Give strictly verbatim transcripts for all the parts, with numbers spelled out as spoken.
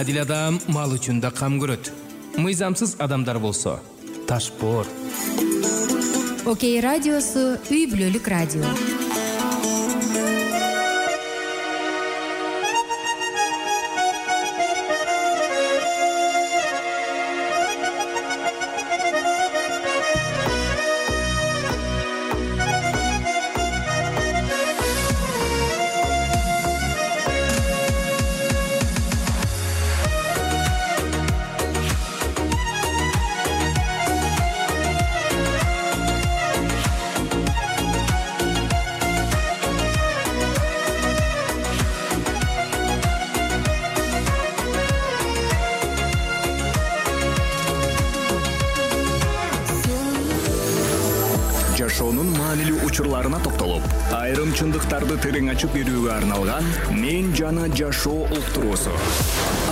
адил адам мал үчүн да кам көрөт. Мыйзамсыз адамдар болсо ташпоор. Окей радиосу үй бүлөлүк радио. Жашоонун маанилүү учурларына токтолуп, айрым чындыктарды терең ачып берүүгө арналган Мен жана жашоо уктуруусу.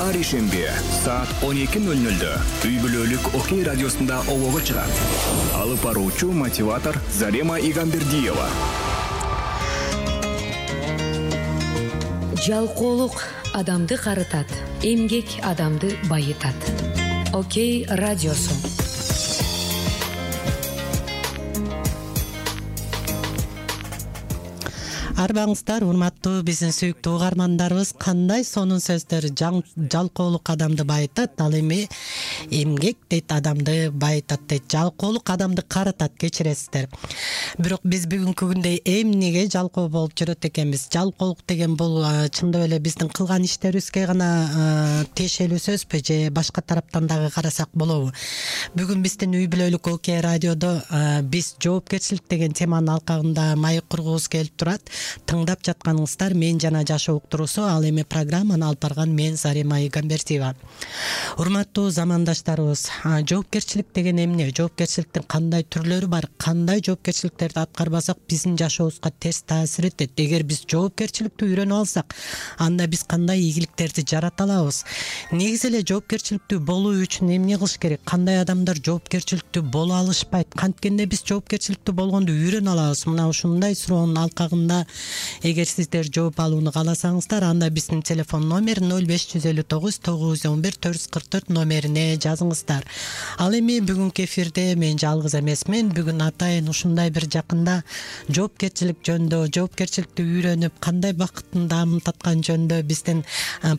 Ар ишемби саат он эки ноль нольдө үй бүлөлүк Окей радиосунда олого чыгат. Алып баруучу мотиватор Зарема Игамбердиева. Жалкоолук адамды карытат, эмгек адамды байытат. Окей радиосу. Арбаңыздар, урматтуу биздин сүйүктүү угармандарыбыз, кандай сонун сөздөр. Жалкоолук адамды байытат, ал эми эмгек дейт адамды байытат дейт. Жалкоолук адамды карытат, кечиресиздер. Бирок биз бүгүнкү күндө эмнеге жалкоо болуп жүрөт экенбиз? Жалкоолук деген бул чындап эле биздин кылган иштерибизге гана тиешелүү сөзбү же башка тараптан дагы карасак болобу? Бүгүн биздин үй бүлөлүк Окей радиодо биз жоопкерчилик деген теманын алкагында маек кургубуз келип турат. Тыңдап жатканыңыздар Мен жана жашоо уктуруусу. Ал эми программаны алып барган мен Зарема Игамбердиева. Урматтуу замандаштарыбыз, жоопкерчилик деген эмне? Жоопкерчиликтин кандай түрлөрү бар? Кандай жоопкерчиликтерди аткарбасак биздин жашообузга терс таасир этет? Эгер биз жоопкерчиликти үйрөнүп алсак, анда биз кандай ийгиликтерди жарата алабыз? Негизи эле жоопкерчиликтүү болуу үчүн эмне кылыш керек? Кандай адамдар жоопкерчиликтүү боло алышпайт? Канткенде биз жоопкерчиликтүү болгонду үйрөнө алабыз? Мына ушундай суроонун алкагында эгер сиздер жооп алууну кааласаңыздар, анда биздин телефон номер ноль беш жүз элүү тогуз тогуз жүз он бир төрт жүз кырк төрт номерине жазыңыздар. Ал эми бүгүнкү эфирде мен жалгыз эмесмин. Бүгүн атайын ушундай бир жакында жоопкерчилик жөнүндө, жоопкерчиликти үйрөнүп кандай бакыттын даамын таткан жөнүндө биздин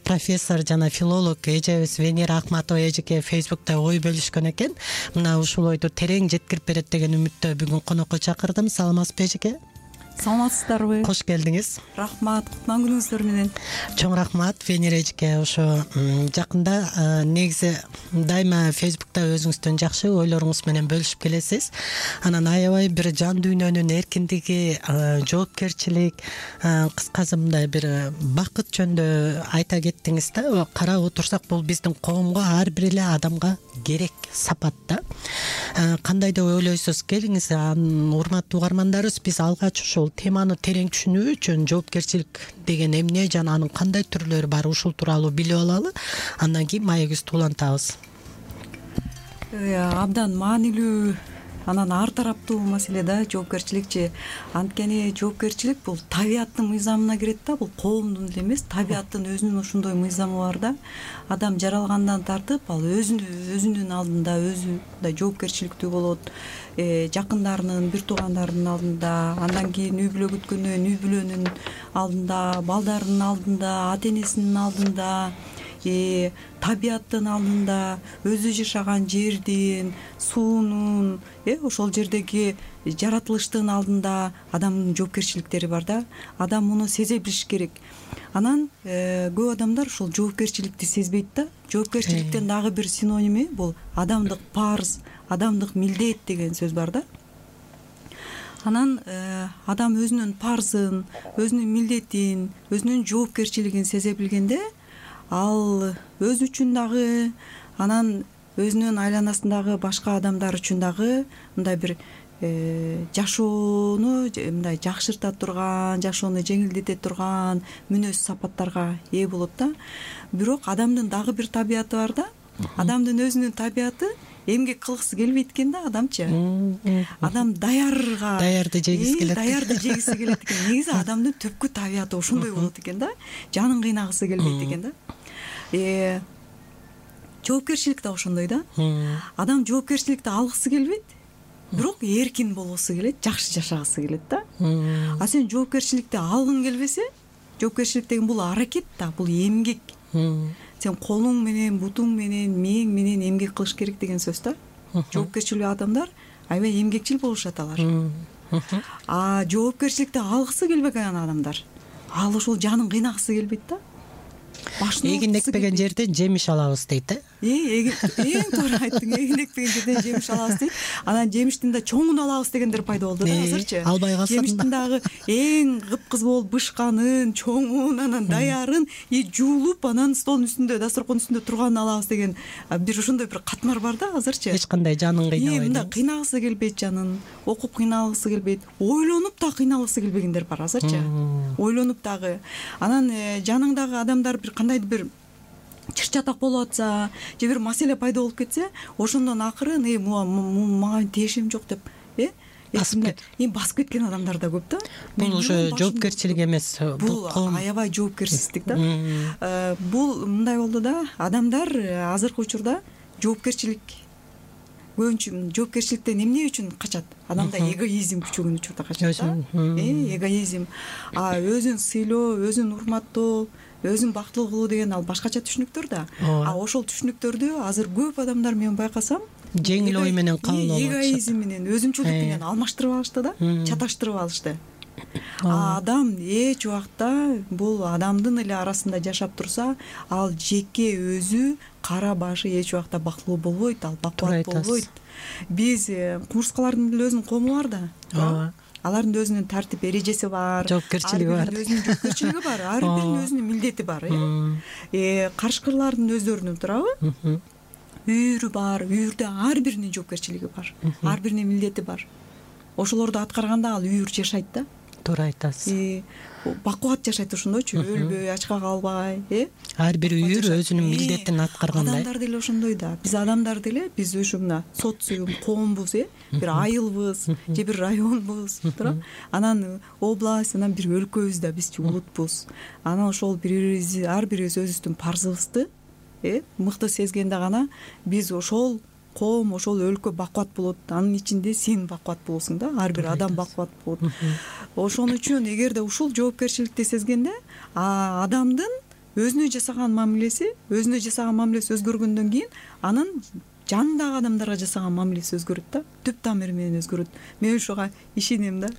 профессор жана филолог эжебиз Венера Акматова эжеке Facebook'та ой бөлүшкөн экен. Мына ушул ойду терең жеткирип берет деген үмүттө бүгүн конокко чакырдым. Саламатсызбы эжеке? Саламатсыздарбы? Кош келдиңиз. Рахмат, кутман күнүңүздөр менен. Чоң рахмат Венера эжеке. Ошо жакында негизи дайыма Facebook'та өзүңүздүн жакшы ойлоруңуз менен бөлүшүп келесиз. Анан аябай бир жан дүйнөнүн эркиндиги, жоопкерчилик, кыскасы мындай бир бакыт жөнүндө айта кеттиңиз да. Карап отурсак, бул биздин коомго, ар бир эле адамга керек сапат да. Кандай деп ойлойсуз? Келиңиз, урматтуу угармандарыбыз, биз алгач ушул теманы терең түшүнүү үчүн жоопкерчилик деген эмне жана анын кандай түрлөрү бар, ушул тууралуу билип алалы. Андан кийин маегибизди улантабыз. Абдан маанилүү, анан ар тараптуу маселе да жоопкерчиликчи. Анткени жоопкерчилик бул табияттын мыйзамына кирет да, бул коомдун эле эмес, табияттын өзүнүн ошондой мыйзамы бар да. Адам жаралгандан тартып, ал өзүнүн өзүнүн алдында өзү да жоопкерчиликтүү болот. Жакындарынын, бир туугандарынын алдында, андан кийин үй бүлө күткөндөн үй бүлөнүн алдында, балдарынын алдында, ата-энесинин алдында, табияттын алдында, өзү жашаган жердин, суунун, ошол жердеги жаратылыштын алдында адамдын жоопкерчиликтери бар да. Адам муну сезе билиш керек. Анан көп адамдар ушул жоопкерчиликти сезбейт да. Жоопкерчиликтин дагы бир синоними бул адамдык парыз, адамдык милдет деген сөз бар да. Анан адам өзүнүн парзын, өзүнүн милдетин, өзүнүн жоопкерчилигин сезе билгенде, ал өзү үчүн дагы, анан өзүнүн айланасындагы башка адамдар үчүн дагы мындай бир жашоону мындай жакшырта турган, жашоону жеңилдете турган мүнөз сапаттарга ээ болот да. Бирок адамдын дагы бир табияты бар да. Адамдын өзүнүн табияты эмгек кылгысы келбейт экен да адамчы. Адам даярга даярды жегиси келет. Даярды жегиси келет экен. Негизи адамдын түпкү табияты ошондой болот экен да. Жанын кыйнагысы келбейт экен да. жоопкерчилик да ошондой да. Адам жоопкерчиликти алгысы келбейт, бирок эркин болгусу келет, жакшы жашагысы келет да. А сен жоопкерчиликти алгың келбесе, жоопкерчилик деген бул аракет да, бул эмгек. Сен колуң менен, бутуң менен, мээң менен эмгек кылыш керек деген сөз да. Жоопкерчил адамдар аябай эмгекчил болушат алар. А жоопкерчиликти алгысы келбеген адамдар, ал ошол жанын кыйнагысы келбейт да. Эгиндекпеген жерден жемиш алабыз дейт э. Эң туура айттың, эгиндекпеген жерден жемиш алабыз дейт. Анан жемиштин да чоңун алабыз дегендер пайда болду да азырчы. Албай калсын. Жемиштин дагы эң кыпкыз болуп бышканын, чоңун, анан даярын и жуулуп, анан столдун үстүндө, дасторкондун үстүндө турганын алабыз деген бир ошондой бир катмар бар да азырчы. Эч кандай жанын кыйнабайт. Мында кыйнагысы келбейт жанын, окуп кыйналгысы келбейт, ойлонуп да кыйналгысы келбегендер бар азырчы. Ойлонуп дагы. Анан жаныңдагы адамдар бир кандайдыр бир чыр-чатак болуп атса, же бир маселе пайда болуп кетсе, ошондон акырын э мага тиешим жок деп э эми басып кеткен адамдар да көп да. Бул ошо жоопкерчилик эмес, бул аябай жоопкерсиздик да. Бул мындай болду да, адамдар азыркы учурда жоопкерчилик көбүнчө жоопкерчиликтен эмне үчүн качат? Адамда эгоизм күчөгөн учурда качат да. Э эгоизм, а өзүн сыйлоо, өзүн урматтоо, өзүн бактылуу кылуу деген ал башкача түшүнүктөр да. А ошол түшүнүктөрдү азыр көп адамдар мен байкасам жеңил ой менен кабыл алып атышат. Эгоизм менен, өзүмчүлдүк менен алмаштырып алышты да, чаташтырып алышты. А адам эч убакта бул адамдын эле арасында жашап турса, ал жеке өзү кара башы эч убакта бактылуу болбойт, ал бакубат болбойт. Биз кумурскалардын деле өзүнүн коому бар да. Ооба. Алардын өзүнүн тартип эрежеси бар, жоопкерчилиги бар. Өзүнүн жоопкерчилиги бар, ар биринин өзүнүн милдети бар, э. Карышкырлардын өздөрүнүн турабы? Үйүрү бар, үйүрдө ар биринин жоопкерчилиги бар, ар биринин милдети бар. Ошолорду аткарганда ал үйүр жашайт да. Туура айтасыз. Бакубат жашайт ошондойчу, өлбөй, ачка калбай, э. Ар бир үйүр өзүнүн милдетин аткаргандай. Адамдар деле ошондой да. Биз адамдар деле, биз ушу мына социум, коомбуз, э. Бир айылбыз, же бир районбуз, туура. Анан область, анан бир өлкөбүз да, биз улутпуз. Анан ошол бири-бирибиз, ар бирибиз өзүбүздүн парзыбызды, э, мыкты сезгенде гана биз ошол коом, ошол өлкө бакубат болот. Анын ичинде сен бакубат болосуң да, ар бир адам бакубат болот. Ошон үчүн эгерде ушул жоопкерчиликти сезгенде, адамдын өзүнө жасаган мамилеси, өзүнө жасаган мамилеси өзгөргөндөн кийин анын жанындагы адамдарга жасаган мамилеси өзгөрөт да, түп тамыры менен өзгөрөт. Мен ошого ишенем да.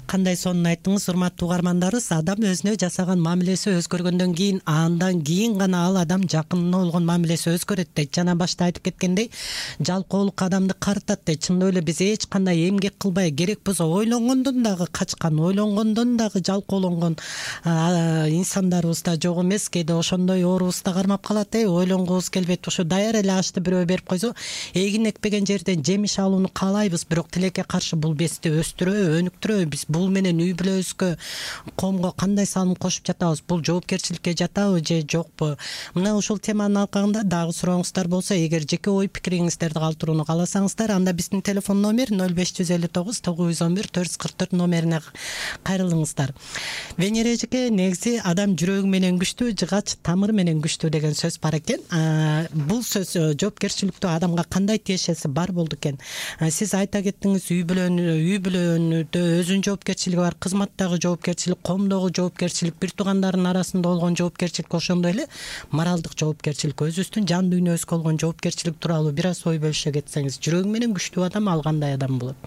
Кандай сонун айттыңыз, урматтуу угармандарыбыз. Адам өзүнө жасаган мамилеси өзгөргөндөн кийин, андан кийин гана ал адам жакынына болгон мамилеси өзгөрөт дейт. Жана башта айтып кеткендей, жалкоолук адамды карытат дейт. Чындап эле биз эч кандай эмгек кылбай, керек болсо ойлонгондон дагы качкан, ойлонгондон дагы жалкоолонгон инсандарыбыз да жок эмес. Кээде ошондой оорубуз да кармап калат, э, ойлонгубуз келбейт. Ошо даяр эле ашты бирөө берип койсо, эгин экпеген жерден жемиш алууну каалайбыз, бирок тилекке каршы бул бести өстүрөбү, өнүктүрөбү? Биз бул менен үй бүлөбүзгө, коомго кандай салым кошуп жатабыз? Бул жоопкерчиликке жатабы же жокпу? Мына ушул теманын алкагында дагы сурооңуздар болсо, эгер жеке ой пикириңиздерди калтырууну кааласаңыздар, анда биздин телефон номер ноль беш жүз элүү тогуз тогуз жүз он бир төрт жүз кырк төрт номерине кайрылыңыздар. Венера эжеке, негизи адам жүрөгү менен күчтүү, жыгач тамыры менен күчтүү деген сөз бар экен. Бул сөз жоопкерчиликтүү адамга кандай тиешеси бар болду экен? Сиз айта кеттиңиз, үй бүлөнү, үй бүлөнүдө өзүнүн жоопкерчилиги бар, кызматтагы жоопкерчилик, коомдогу жоопкерчилик, бир туугандардын арасында болгон жоопкерчилик, ошондой эле моралдык жоопкерчилик, өзүбүздүн жан дүйнөбүзгө болгон жоопкерчилик тууралуу бир аз ой бөлүшө кетсеңиз, жүрөгү менен күчтүү адам ал кандай адам болот?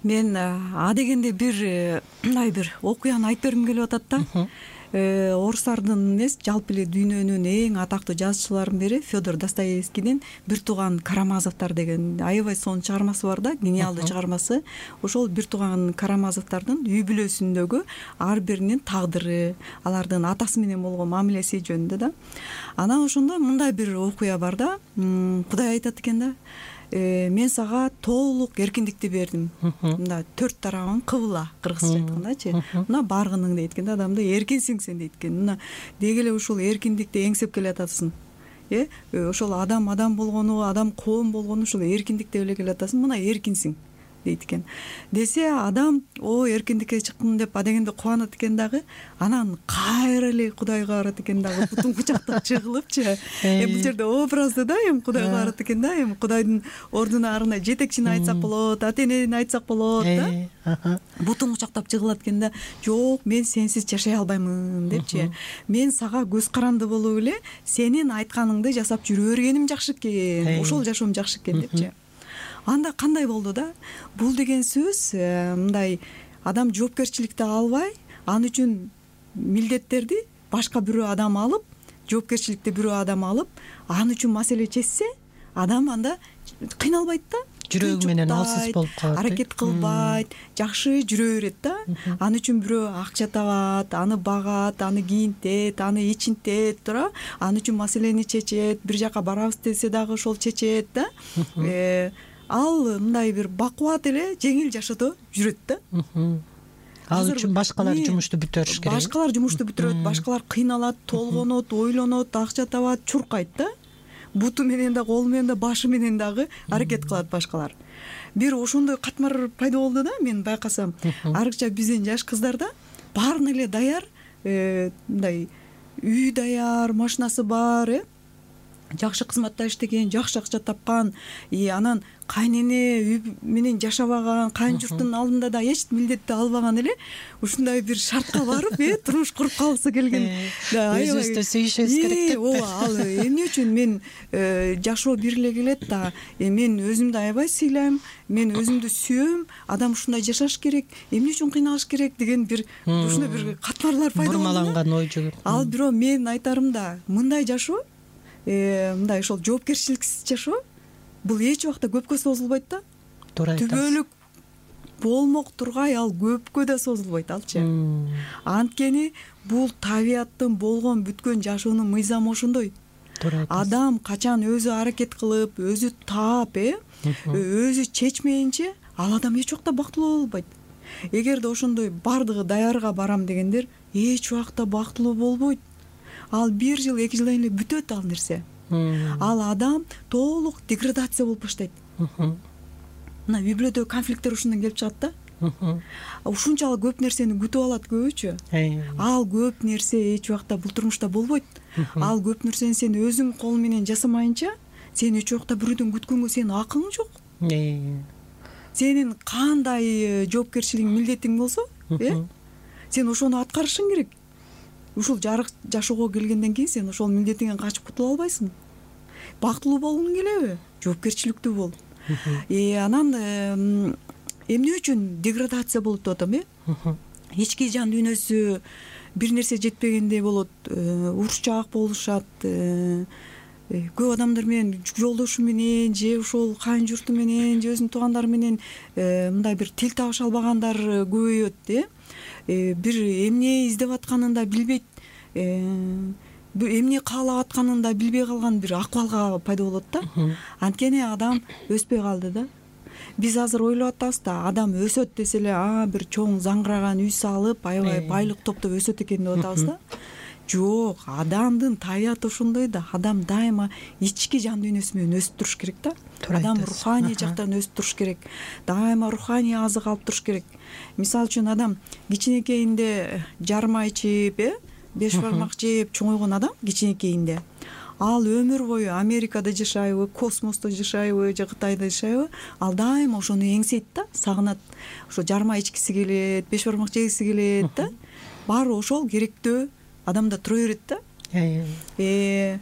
Мен а дегенде бир мындай бир окуяны айтып бергим келип атат да. Орустардын эмес, жалпы эле дүйнөнүн эң атактуу жазуучуларынын бири Федор Достоевскийдин Бир тууган Карамазовдор деген аябай сонун чыгармасы бар да, гениалдуу чыгармасы. Ошол Бир тууган Карамазовдордун үй бүлөсүндөгү ар биринин тагдыры, алардын атасы менен болгон мамилеси жөнүндө да. Анан ошондо мындай бир окуя бар да. Кудай айтат экен да: мен сага толук эркиндикти бердим. Мында төрт тарабың кыбыла, кыргызча айткандачы. Мына баргының дейт экен да, адамды эркинсиң сен дейт экен. Мына деги эле ушул эркиндикти эңсеп келатасың. Э, ошол адам адам болгону, адам коом болгону ушул эркиндик деп эле келатасың. Мына эркинсиң. дейт экен. Десе адам о эркиндикке чыктым деп адегенде кубанат экен дагы, анан кайра эле Кудайга барат экен дагы, бутун кучактап жыгылыпчы. Эми бул жерде образды да, эми Кудайга барат экен да, эми Кудайдын ордуна арына жетекчини айтсак болот, ата-энени айтсак болот да. Бутун кучактап жыгылат экен да, жок, мен сенсиз жашай албаймын депчи. Мен сага көз каранды болуп эле сенин айтканыңды жасап жүрө бергеним жакшы экен, ошол жашоом жакшы экен депчи. Анда кандай болду да? Бул деген сөз мындай адам жоопкерчиликти албай, ал үчүн милдеттерди башка бирөө адам алып, жоопкерчиликти бирөө адам алып, ал үчүн маселе чечсе, адам анда кыйналбайт да. Жүрөгү менен алсыз болуп калат. Аракет кылбайт, жакшы жүрө берет да. Аны үчүн бирөө акча табат, аны багат, аны кийинтет, аны ичинтет, туура. Аны үчүн маселени чечет, бир жака барабыз десе дагы ошол чечет да. Ал мындай бир бакубат эле жеңил жашоодо жүрөт да. Ал үчүн башкалар жумушту бүтөрүш керек. Башкалар жумушту бүтүрөт, башкалар кыйналат, толгонот, ойлонот, акча табат, чуркайт да. Буту менен да, колу менен да, башы менен дагы аракет кылат башкалар. Бир ошондой катмар пайда болду да, мен байкасам. Арыкча биздин жаш кыздарда баарын эле даяр, мындай үй даяр, машинасы бар, э жакшы кызматта иштеген, жакшы акча тапкан, и анан кайнене үй менен жашабаган, кайын журттун алдында да эч милдетти албаган эле ушундай бир шартка барып, э турмуш куруп калгысы келген. Өзүбүздү сүйүшүбүз керек деп. Ооба, ал эмне үчүн мен жашоо бир эле келет да, мен өзүмдү аябай сыйлайм, мен өзүмдү сүйөм, адам ушундай жашаш керек, эмне үчүн кыйналыш керек деген бир ушундай бир катмарлар пайда болду. Бурмаланган ой жүгүп. Ал бирок мен айтарым да, мындай жашоо, мындай ошол жоопкерчиликсиз жашоо бул эч убакта көпкө созулбайт да. Туура айтасыз. Түбөлүк болмок тургай ал көпкө да созулбайт алчы. Анткени бул табияттын болгон бүткөн жашоонун мыйзамы ошондой. Туура айтасыз. Адам качан өзү аракет кылып, өзү таап, э өзү чечмейинче ал адам эч убакта бактылуу боло албайт. Эгерде ошондой бардыгы даярга барам дегендер эч убакта бактылуу болбойт. Ал бир жыл, эки жылдан эле бүтөт ал нерсе. Ал адам толук деградация болуп баштайт. Мына Библиядагы конфликттер ушундан келип чыгат да. Ушунчалык көп нерсени күтүп алат көбүчө. Ал көп нерсе эч убакта бул турмушта болбойт. Ал көп нерсени сен өзүң кол менен жасамайынча, сен эч убакта бирөөдөн күткөнгө сенин акың жок. Сенин кандай жоопкерчилигиң, милдетиң болсо, э сен ошону аткарышың керек. Ушул жарык жашоого келгенден кийин сен ошол милдетиңен качып кутула албайсың. Бактылуу болгуң келеби? Жоопкерчиликтүү бол. Э анан эмне үчүн деградация болот деп атам, э? Ички жан дүйнөсү бир нерсе жетпегендей болот, урушчаак болушат, көп адамдар менен, жолдошу менен же ошол кайын журту менен же өзүнүн туугандары менен мындай бир тил табыша албагандар көбөйөт, э бир эмне издеп атканын да билбейт, эмне каалап атканын да билбей калган бир акыбалга пайда болот да. Анткени адам өспөй калды да. Биз азыр ойлоп атабыз да, адам өсөт десе эле, а бир чоң заңгыраган үй салып, аябай байлык топтоп өсөт экен деп атабыз да. Жок, адамдын табияты ошондой да. Адам дайыма ички жан дүйнөсү менен өсүп туруш керек да. Адам руханий жактан өсүп туруш керек. Дайыма руханий азык алып туруш керек. Мисалы үчүн адам кичинекейинде жарма ичип, э беш бармак жеп чоңойгон адам кичинекейинде, ал өмүр бою Америкада жашайбы, космосто жашайбы же Кытайда жашайбы, ал дайыма ошону эңсейт да, сагынат. Ошо жарма ичкиси келет, беш бармак жегиси келет да. Баары ошол керектөө адамда тура берет да. Э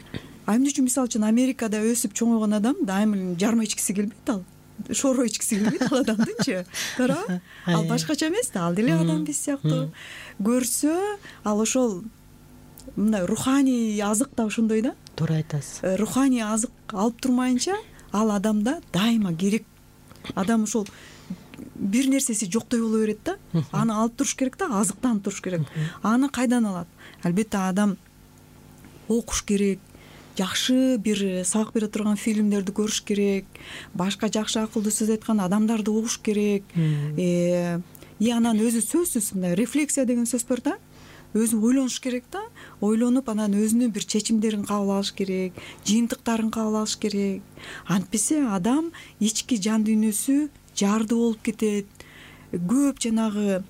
а эмне үчүн мисалы үчүн Америкада өсүп чоңойгон адам дайыма жарма ичкиси келбейт ал. Шоро ичкиси келбейт ал адамдынчы. Туура? Ал башкача эмес да, ал деле адам биз сыяктуу. Көрсө, ал ошол мындай руханий азык да ошондой да. Туура айтасыз. Руханий азык алып турмайынча ал адамда дайыма керек. Адам ошол бир нерсеси жоктой боло берет да. Аны алып туруш керек да, азыктанып туруш керек. Аны кайдан алат? Албетте адам окуш керек, жакшы бир сабак бере турган фильмдерди көрүш керек, башка жакшы акылдуу сөз айткан адамдарды угуш керек. Э и анан өзү сөзсүз мындай рефлексия деген сөз бар да. Өзү ойлонуш керек да. Ойлонуп анан өзүнүн бир чечимдерин кабыл алыш керек, жыйынтыктарын кабыл алыш керек. Антпесе адам ички жан дүйнөсү жарды болуп кетет. Көп жанагы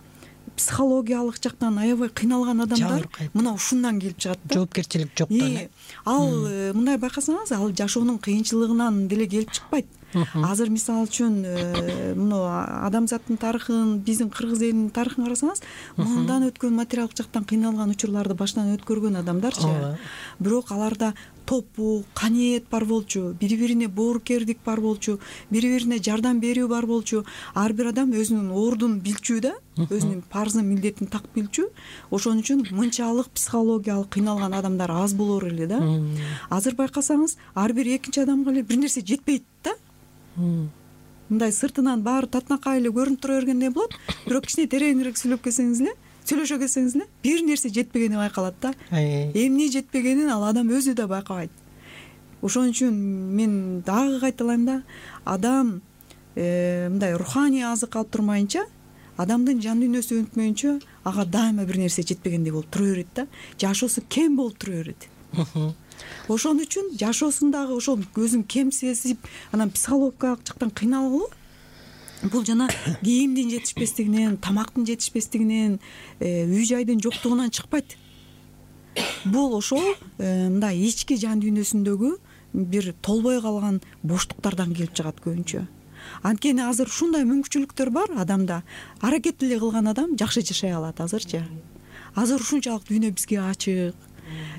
психологиялык жактан аябай кыйналган адамдар мына ушундан келип чыгат да. Жоопкерчилик жоктон. Ал мындай байкасаңыз, ал жашоонун кыйынчылыгынан деле келип чыкпайт. Азыр мисалы үчүн мына адамзаттын тарыхын, биздин кыргыз элинин тарыхын карасаңыз, мындан өткөн материалдык жактан кыйналган учурларды баштан өткөргөн адамдарчы. Бирок аларда топу, каниет бар болчу, бири-бирине боорукердик бар болчу, бири-бирине жардам берүү бар болчу. Ар бир адам өзүнүн ордун билчү да, өзүнүн парзын, милдетин так билчү. Ошон үчүн мынчалык психологиялык кыйналган адамдар аз болор эле да. Азыр байкасаңыз, ар бир экинчи адамга эле бир нерсе жетпейт да. Мындай сыртынан баары татынакай эле көрүнүп тура бергендей болот, бирок кичине тереңирээк сүйлөп келсеңиз эле, сүйлөшө келсеңиз эле, бир нерсе жетпегени байкалат да. Эмне жетпегенин ал адам өзү да байкабайт. Ошон үчүн мен дагы кайталайм да, адам мындай руханий азык алып турмайынча, адамдын жан дүйнөсү өнүкмөйүнчө ага дайыма бир нерсе жетпегендей болуп тура берет да. Жашоосу кем болуп тура берет. Ошон үчүн жашоосундагы ошол өзүн кем сезип, анан психологиялык жактан кыйналуу бул жана кийимдин жетишпестигинен, тамактын жетишпестигинен, үй жайдын жоктугунан чыкпайт. Бул ошол мындай ички жан дүйнөсүндөгү бир толбой калган боштуктардан келип чыгат көбүнчө. Анткени азыр ушундай мүмкүнчүлүктөр бар адамда. Аракет эле кылган адам жакшы жашай алат азырчы. Азыр ушунчалык дүйнө бизге ачык.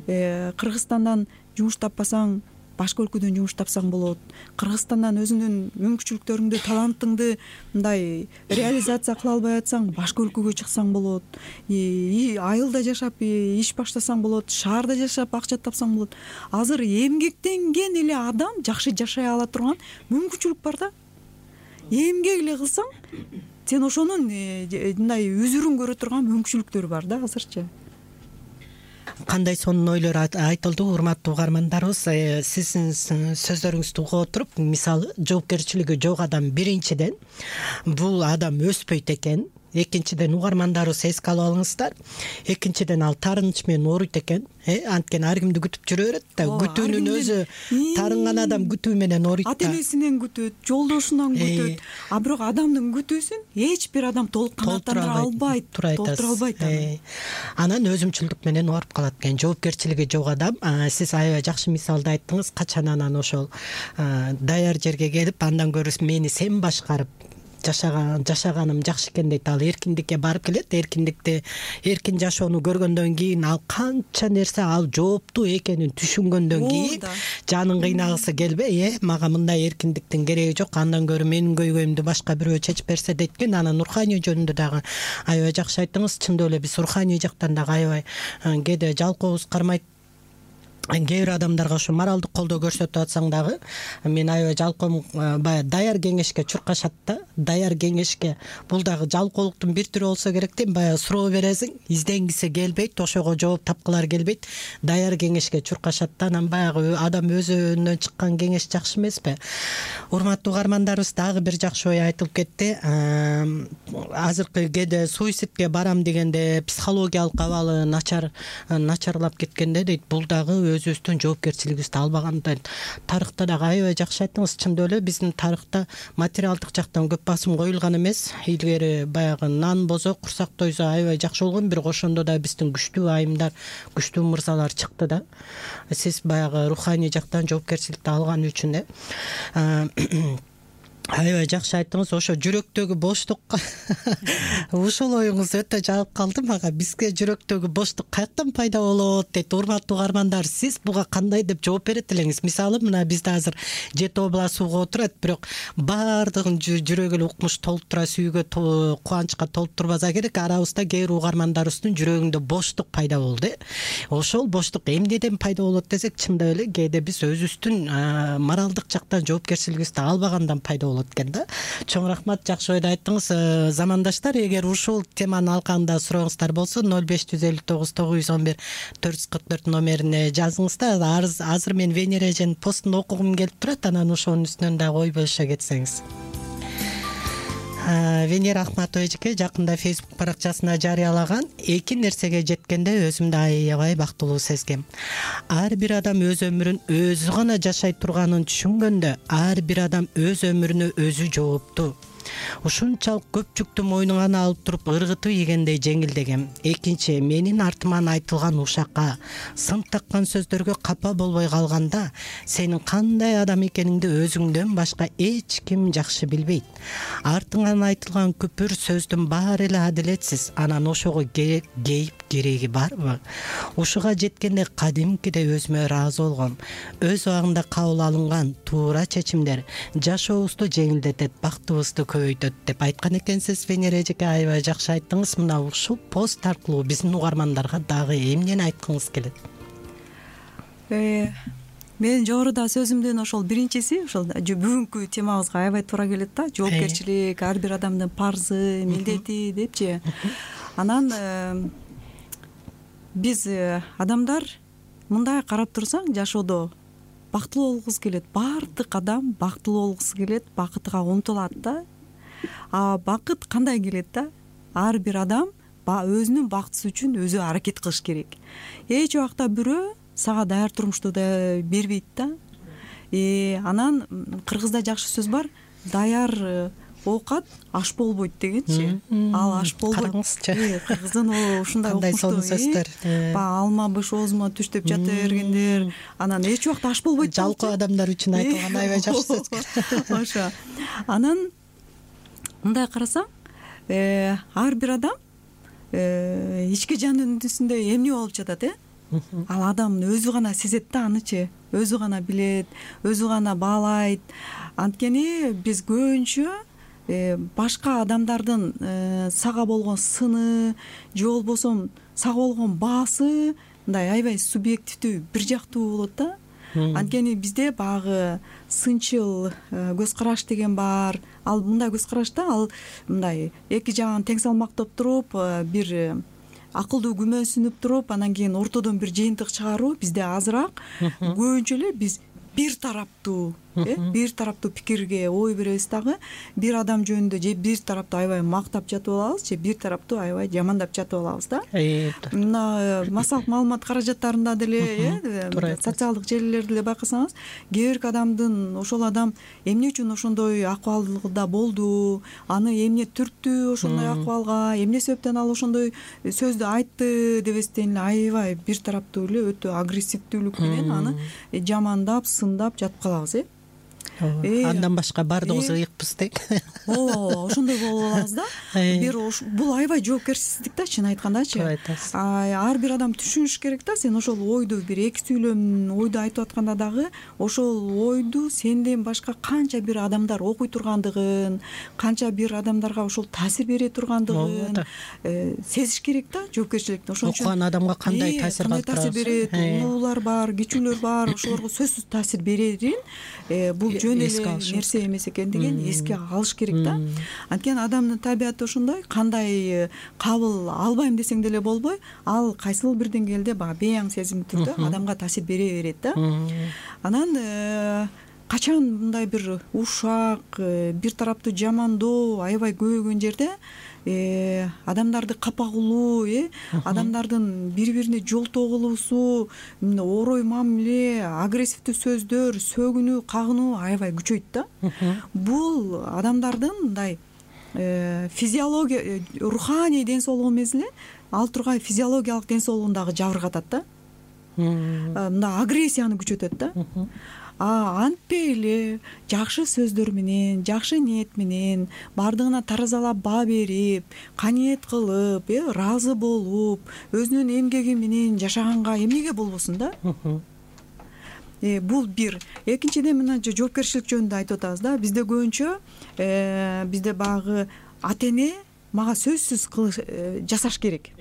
Кыргызстандан жумуш таппасаң, башка өлкөдөн жумуш тапсаң болот. Кыргызстандан өзүнүн мүмкүнчүлүктөрүңдү, талантыңды мындай реализация кыла албай атсаң, башка өлкөгө чыксаң болот. Айылда жашап иш баштасаң болот, шаарда жашап акча тапсаң болот. Азыр эмгектенген эле адам жакшы жашай ала турган мүмкүнчүлүк бар да. Эмгек эле кылсаң, сен ошонун мындай үзүрүн көрө турган мүмкүнчүлүктөр бар да азырчы. Кандай сонун ойлор айтылды, урматтуу угармандарыбыз. Сиздин сөздөрүңүздү угуп отуруп, мисалы жоопкерчилиги жок адам биринчиден бул адам өспөйт экен. Экинчиден угармандарыбыз эске алып алыңыздар. Экинчиден ал таарыныч менен ооруйт экен. Э, анткени ар кимди күтүп жүрө берет да. Күтүүнүн өзү таарынган адам күтүү менен ооруйт да. Ата-энесинен күтөт, жолдошунан күтөт. А бирок адамдын күтүүсүн эч бир адам толук канааттандыра албайт, толтура албайт. Анан өзүмчүлдүк менен ооруп калат экен. Жоопкерчилиги жок адам. Сиз аябай жакшы мисалды айттыңыз. Качан анан ошол даяр жерге келип, андан көрү мени сен башкарып жашаган жашаганым жакшы экен дейт. Ал эркиндикке барып келет. Эркиндикти, эркин жашоону көргөндөн кийин ал канча нерсе ал жооптуу экенин түшүнгөндөн кийин жанын кыйнагысы келбей, э, мага мындай эркиндиктин кереги жок, андан көрө менин көйгөйүмдү башка бирөө чечип берсе дейт экен. Анан руханий жөнүндө дагы аябай жакшы айттыңыз. Чындап эле биз руханий жактан дагы аябай кээде жалкообуз кармайт. Кээ бир адамдарга ушу моралдык колдоо көрсөтүп атсаң дагы, мен аябай жалкоом, баягы даяр кеңешке чуркашат да. Даяр кеңешке бул дагы жалкоолуктун бир түрү болсо керек да. Баягы суроо бересиң, изденгиси келбейт, ошого жооп тапкылар келбейт. Даяр кеңешке чуркашат да. Анан баягы адам өзүнөн чыккан кеңеш жакшы эмеспи? Урматтуу угармандарыбыз, дагы бир жакшы ой айтылып кетти. Азыркы кээде суицидке барам дегенде психологиялык абалы начар начарлап кеткенде дейт. Бул дагы өзүбүздүн жоопкерчилигибизди албагандан. Тарыхта дагы аябай жакшы айттыңыз. Чындап эле биздин тарыхта материалдык жактан көп басым коюлган эмес. Илгери баягы нан бозо, курсак тойсо аябай жакшы болгон, бирок ошондо да биздин күчтүү айымдар, күчтүү мырзалар чыкты да. Сиз баягы руханий жактан жоопкерчиликти алган үчүн э аябай жакшы айттыңыз. Ошо жүрөктөгү боштукка ушул оюңуз өтө жагып калды мага. Бизге жүрөктөгү боштук каяктан пайда болот дейт. Урматтуу угармандар, сиз буга кандай деп жооп берет элеңиз? Мисалы, мына бизде азыр жети обла сууга отурат, бирок баардыгын жүрөгү эле укмуш толуп тура, сүйгө, кубанычка толуп турбаса керек. Арабызда кээ бир угармандарыбыздын жүрөгүндө боштук пайда болду. Ошол боштук эмнеден пайда болот десек, чындап эле кээде биз өзүбүздүн моралдык жактан жоопкерчилигибизди албагандан пайда болот экен да. Чоң рахмат, жакшы ойду айттыңыз. Замандаштар, эгер ушул теманын алкагында сурооңуздар болсо, ноль беш жүз элүү тогуз тогуз жүз он бир төрт жүз кырк төрт номерине жазыңыздар. Азыр мен Венера эженин постун окугум келип турат, анан ошонун үстүнөн дагы ой бөлүшө кетсеңиз. Венера Ахматова эжеке жакында Facebook баракчасына жарыялаган: эки нерсеге жеткенде өзүмдү аябай бактылуу сезгем. Ар бир адам өз өмүрүн өзү гана жашай турганын түшүнгөндө, ар бир адам өз өмүрүнө өзү жооптуу. ушунчалык көп жүктү мойнуңа алып туруп ыргытып ийгендей жеңилдегем. Экинчи, менин артыман айтылган ушакка, сын таккан сөздөргө капа болбой калганда, сенин кандай адам экениңди өзүңдөн башка эч ким жакшы билбейт. Артыңан айтылган күпүр сөздүн баары эле адилетсиз. Анан ошого кейип кереги барбы? Ушуга жеткенде кадимкидей өзүмө ыраазы болгом. Өз убагында кабыл алынган туура чечимдер жашообузду жеңилдетет, бактыбызды көбөйтөт деп айткан экенсиз. Венера эжеке, аябай жакшы айттыңыз. Мына ушул пост аркылуу биздин угармандарга дагы эмнени айткыңыз келет? Мен жогоруда сөзүмдүн ошол биринчиси ошол бүгүнкү темабызга аябай туура келет да. Жоопкерчилик, ар бир адамдын парзы, милдети депчи. Анан биз адамдар мындай карап турсаң, жашоодо бактылуу болгубуз келет. Баардык адам бактылуу болгусу келет, бакытка умтулат да. А бакыт кандай келет да? Ар бир адам өзүнүн бактысы үчүн өзү аракет кылыш керек. Эч убакта бирөө сага даяр турмушту да бербейт да. Э анан кыргызда жакшы сөз бар, даяр оокат аш болбойт дегенчи. Ал аш болбойт. Караңызчы. Кыргыздын ушундай кандай сонун сөздөр. Баягы алма быш оозума түш деп жата бергендер, анан эч убакта аш болбойт. Жалкоо адамдар үчүн айтылган аябай жакшы сөз. Ошо. Анан мындай карасаң, э ар бир адам э ички жан дүнүсүндө эмне болуп жатат, э? Ал адам өзү гана сезет да анычы, өзү гана билет, өзү гана баалайт. Анткени биз көбүнчө башка адамдардын сага болгон сыны же болбосо сага болгон баасы мындай аябай субъективдүү, бир жактуу болот да. Анткени бизде багы сынчыл көз караш деген бар. Ал мындай көз карашта ал мындай эки жагын тең салмактап туруп, бир акылдуу күмөнсүнүп туруп, анан кийин ортодон бир жыйынтык чыгаруу бизде азыраак. Көбүнчө эле биз бир тараптуу, э, бир тараптуу пикирге ой беребиз дагы. Бир адам жөнүндө же бир тараптуу аябай мактап жатып алабыз, же бир тараптуу аябай жамандап жатып алабыз да. Мына массалык маалымат каражаттарында деле, э, социалдык желилерде деле байкасаңыз, кээ бир адамдын ошол адам эмне үчүн ошондой акыбалда болду, аны эмне түрттү ошондой акыбалга, эмне себептен ал ошондой сөздү айтты дебестен эле аябай бир тараптуу эле өтө агрессивдүүлүк менен аны жамандап, сындап жатып калабыз, э. Андан башка баардыгыбыз ыйыкпыз дейт. Ооба, ошондой болуп алабыз да. Бир бул аябай жоопкерчилик да, чын айткандачы. Ар бир адам түшүнүш керек да, сен ошол ойду бир эки сүйлөм ойду айтып атканда дагы ошол ойду сенден башка канча бир адамдар окуй тургандыгын, канча бир адамдарга ошол таасир бере тургандыгын сезиш керек да, жоопкерчиликти. Ошон үчүн окуган адамга кандай таасир калтырат? берет, улуулар бар, кичүүлөр бар, ошолорго сөзсүз таасир берерин бул жөн эле нерсе эмес экендигин эске алыш керек да. Анткени адамдын табияты ошондой, кандай кабыл албайм десең деле болбой, ал кайсыл бир деңгээлде баягы бейаң сезим түрдө адамга таасир бере берет да. Анан качан мындай бир ушак, бир тараптуу жамандоо аябай көбөйгөн жерде адамдарды капа кылуу, э адамдардын бири-бирине жолтоо кылуусу, орой мамиле, агрессивдүү сөздөр, сөгүнүү, кагынуу аябай күчөйт да. Бул адамдардын мындай физиология, руханий ден соолугу эмес эле, ал тургай физиологиялык ден соолугун дагы жабыркатат да. Мындай агрессияны күчөтөт да. А антпей эле жакшы сөздөр менен, жакшы ниет менен, бардыгына таразалап баа берип, каниет кылып, э ыраазы болуп, өзүнүн эмгеги менен жашаганга эмнеге болбосун да? Э бул бир. Экинчиден мына жоопкерчилик жөнүндө айтып атабыз да. Бизде көбүнчө э бизде багы ата эне мага сөзсүз кылыш жасаш керек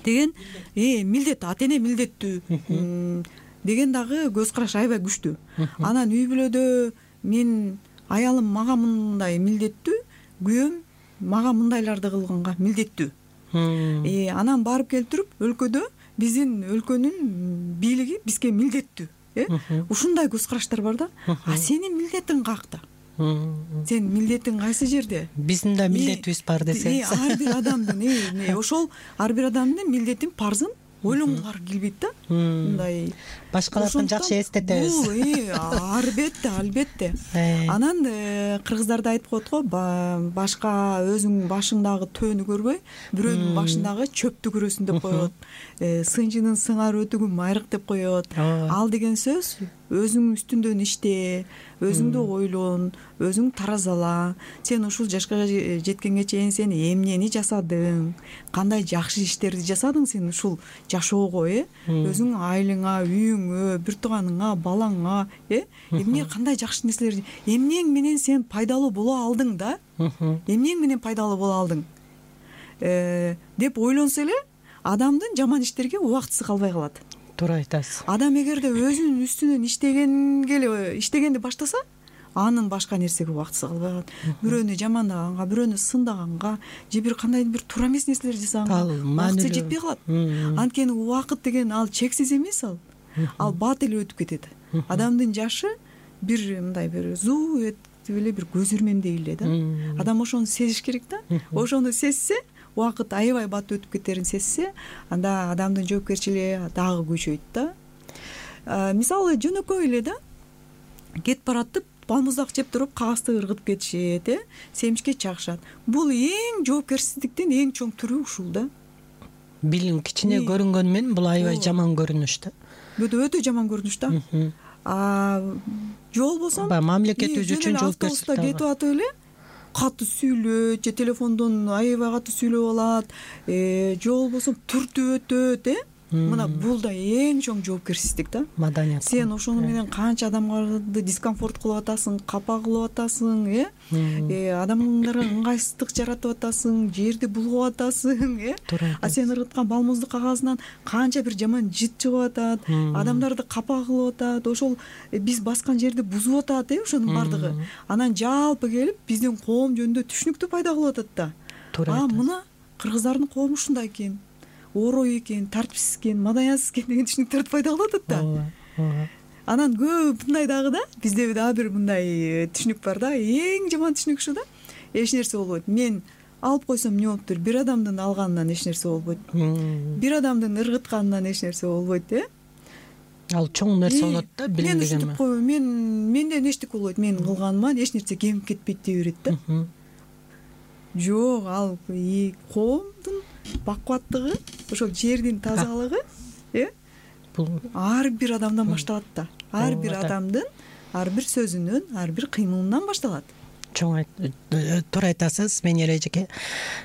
деген э милдет, ата эне милдеттүү деген дагы көз караш аябай күчтүү. Анан үй бүлөдө мен аялым мага мындай милдеттүү, күйөөм мага мындайларды кылганга милдеттүү. Э анан барып келтирип өлкөдө биздин өлкөнүн бийлиги бизге милдеттүү. Э ушундай көз караштар бар да. А сенин милдетиң каякта? Сен милдетиң кайсы жерде? Биздин да милдетибиз бар десеңиз. Ар бир адамдын ошол ар бир адамдын милдетин, парзын ойлонгуңар келбейт да, мындай башкалардын жакшы эстетебиз. Бул албетте, албетте. Анан кыргыздарда айтып коет го, башка өзүң башыңдагы төөнү көрбөй, бирөөнүн башындагы чөптү көрөсүң деп коет. Сынчынын сыңар өтүгү майрык деп коет. Ал деген сөз өзүң үстүндөн иште, өзүңдү ойлон, өзүң таразала. Сен ушул жашка жеткенге чейин сен эмнени жасадың, кандай жакшы иштерди жасадың сен ушул жашоого, э өзүң айылыңа, үйүңө, бир тууганыңа, балаңа, э эмне кандай жакшы нерселер, эмнең менен сен пайдалуу боло алдың да, эмнең менен пайдалуу боло алдың деп ойлонсо эле адамдын жаман иштерге убактысы калбай калат. Туура айтасыз. Адам эгерде өзүнүн үстүнөн иштегенге эле иштегенди баштаса, анын башка нерсеге убактысы калбай калат. Бирөөнү жамандаганга, бирөөнү сындаганга, же бир кандайдыр бир туура эмес нерселер жасаганга убакыты жетпей калат. Анткени убакыт деген ал чексиз эмес, ал ал бат эле өтүп кетет. Адамдын жашы бир мындай бир зуу этип эле бир көз ирмемдей эле да. Адам ошону сезиш керек да. Ошону сезсе, убакыт аябай бат өтүп кетерин сезсе, анда адамдын жоопкерчилиги дагы күчөйт да. Мисалы жөнөкөй эле да, кетип баратып балмуздак жеп туруп кагазды ыргытып кетишет, э семишке чагышат. Бул эң жоопкерсиздиктин эң чоң түрү ушул да. Билим кичине көрүнгөнү менен бул аябай жаман көрүнүш да. Бул өтө жаман көрүнүш да. А жол болсо мамлекетибиз үчүн жоопкерчилик кетип атып эле катуу сүйлөйт, же телефондон аябай катуу сүйлөп алат, же болбосо түртүп өтөт, э мына бул да эң чоң жоопкерсиздик да. Маданият. Сен ошону менен канча адамдарды дискомфорт кылып атасың, капа кылып атасың, э адамдарга ыңгайсыздык жаратып атасың, жерди булгап атасың, э а сен ыргыткан балмуздук кагазынан канча бир жаман жыт чыгып атат, адамдарды капа кылып атат, ошол биз баскан жерди бузуп атат, э ошонун бардыгы. Анан жалпы келип биздин коом жөнүндө түшүнүктү пайда кылып атат да. А мына кыргыздардын коому ушундай экен, орой экен, тартипсиз экен, маданиятсыз экен деген түшүнүктөрдү пайда кылып атат да. Анан көп мындай дагы да, бизде дагы бир мындай түшүнүк бар да, эң жаман түшүнүк ушу да. Эч нерсе болбойт. Мен алып койсом эмне болуптур? Бир адамдын алганынан эч нерсе болбойт. Бир адамдын ыргытканынан эч нерсе болбойт, э? Ал чоң нерсе болот да, билим деген. Мен ушинтип койбойм. Мен менден эчтеке болбойт. Менин кылганыман эч нерсе кемип кетпейт дей берет да. Жок, ал коомдун бакубаттыгы, ошол жердин тазалыгы, э бул ар бир адамдан башталат да. Ар бир адамдын ар бир сөзүнөн, ар бир кыймылынан башталат. Чоң туура айтасыз, мен эрежеке.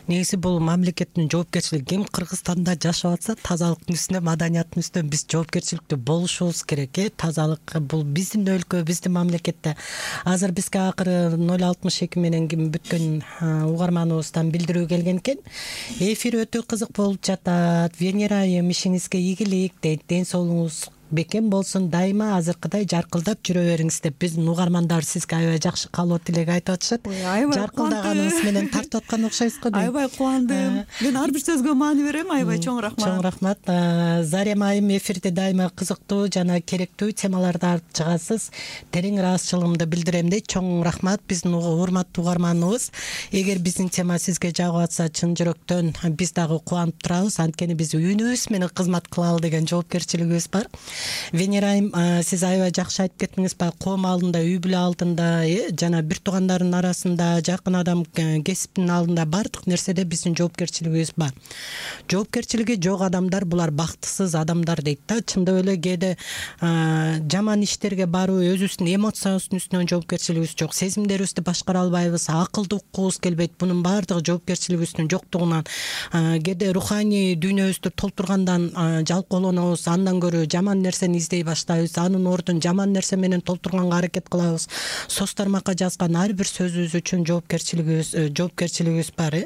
Негизи бул мамлекеттин жоопкерчилиги. Ким Кыргызстанда жашап атса, тазалыктын үстүнө, маданияттын үстүнө биз жоопкерчиликтүү болушубуз керек, э тазалык бул биздин өлкө, биздин мамлекетте. Азыр бизге акыры ноль алтымыш эки менен ким бүткөн угарманыбыздан билдирүү келген экен. Эфир өтө кызык болуп жатат. Венера айым, ишиңизге ийгилик дейт. Ден соолугуңуз бекем болсун, дайыма азыркыдай жаркылдап жүрө бериңиз деп биздин угармандар сизге аябай жакшы каалоо тилек айтып атышат. Жаркылдаганыңыз менен тартып аткан окшойсуз го. Аябай кубандым. Мен ар бир сөзгө маани берем. Аябай чоң рахмат. Чоң рахмат. Зарема айым, эфирде дайыма кызыктуу жана керектүү темаларды алып чыгасыз. Терең ыраазычылыгымды билдирем дейт. Чоң рахмат биздин урматтуу угарманыбыз. Эгер биздин тема сизге жагып атса, чын жүрөктөн биз дагы кубанып турабыз. Анткени биз үнүбүз менен кызмат кылалы деген жоопкерчилигибиз бар. Венера айым, сиз аябай жакшы айтып кеттиңиз. Коом алдында, үй бүлө алдында, жана бир туугандардын арасында, жакын адам, кесиптин алдында бардык нерседе биздин жоопкерчилигибиз бар. Жоопкерчилиги жок адамдар булар бактысыз адамдар дейт да. Чындап эле кээде жаман иштерге баруу, өзүбүздүн эмоциябыздын үстүнөн жоопкерчилигибиз жок, сезимдерибизди башкара албайбыз, акылды уккубуз келбейт. Бунун баардыгы жоопкерчилигибиздин жоктугунан, кээде руханий дүйнөбүздү толтургандан жалкоолонобуз, андан көрө жаман нерсени издей баштайбыз, анын ордун жаман нерсе менен толтурганга аракет кылабыз. Соц тармакка жазган ар бир сөзүбүз үчүн жоопкерчилигибиз жоопкерчилигибиз бар.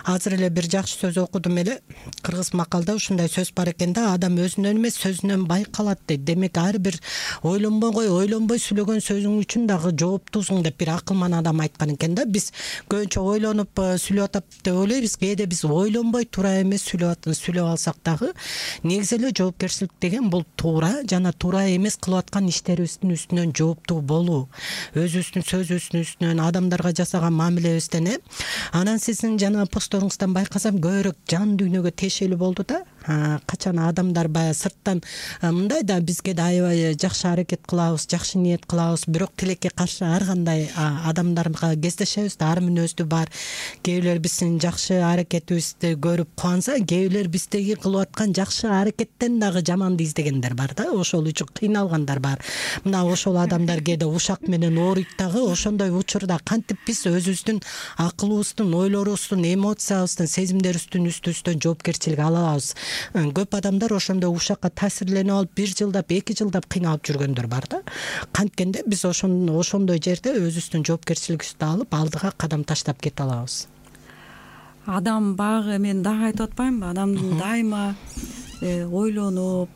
Азыр эле бир жакшы сөз окудум эле. Кыргыз макалда ушундай сөз бар экен да, адам өзүнөн эмес сөзүнөн байкалат дейт. Демек ар бир ойлонбой ойлонбой сүйлөгөн сөзүң үчүн дагы жооптуусуң деп бир акылман адам айткан экен да. Биз көбүнчө ойлонуп сүйлөп атат деп ойлойбуз. Кээде биз ойлонбой туура эмес сүйлөп сүйлөп алсак дагы, негизи эле жоопкерчилик деген бул туура жана туура эмес кылып аткан иштерибиздин үстүнөн жооптуу болуу, өзүбүздүн сөзүбүздүн үстүнөн, адамдарга жасаган мамилебизден. Анан сиздин жана постторуңуздан байкасам көбүрөөк жан дүйнөгө тиешелүү болду да. качан адамдар баягы сырттан мындай да бизге да аябай жакшы аракет кылабыз, жакшы ниет кылабыз, бирок тилекке каршы ар кандай адамдарга кездешебиз да, ар мүнөздүү бар. Кээ бирлер биздин жакшы аракетибизди көрүп кубанса, кээ бирлер биздеги кылып аткан жакшы аракеттен дагы жаманды издегендер бар да, ошол үчүн кыйналгандар бар. Мына ошол адамдар кээде ушак менен ооруйт дагы. Ошондой учурда кантип биз өзүбүздүн акылыбыздын, ойлорубуздун, эмоциябыздын, сезимдерибиздин үстүбүздөн жоопкерчилик ала алабыз. Көп адамдар ошондой ушакка таасирленип алып бир жылдап, эки жылдап кыйналып жүргөндөр бар да. Канткенде биз ошондой жерде өзүбүздүн жоопкерчилигибизди алып, алдыга кадам таштап кете алабыз. Адам багы мен дагы айтып атпаймынбы, адамдын дайыма ойлонуп,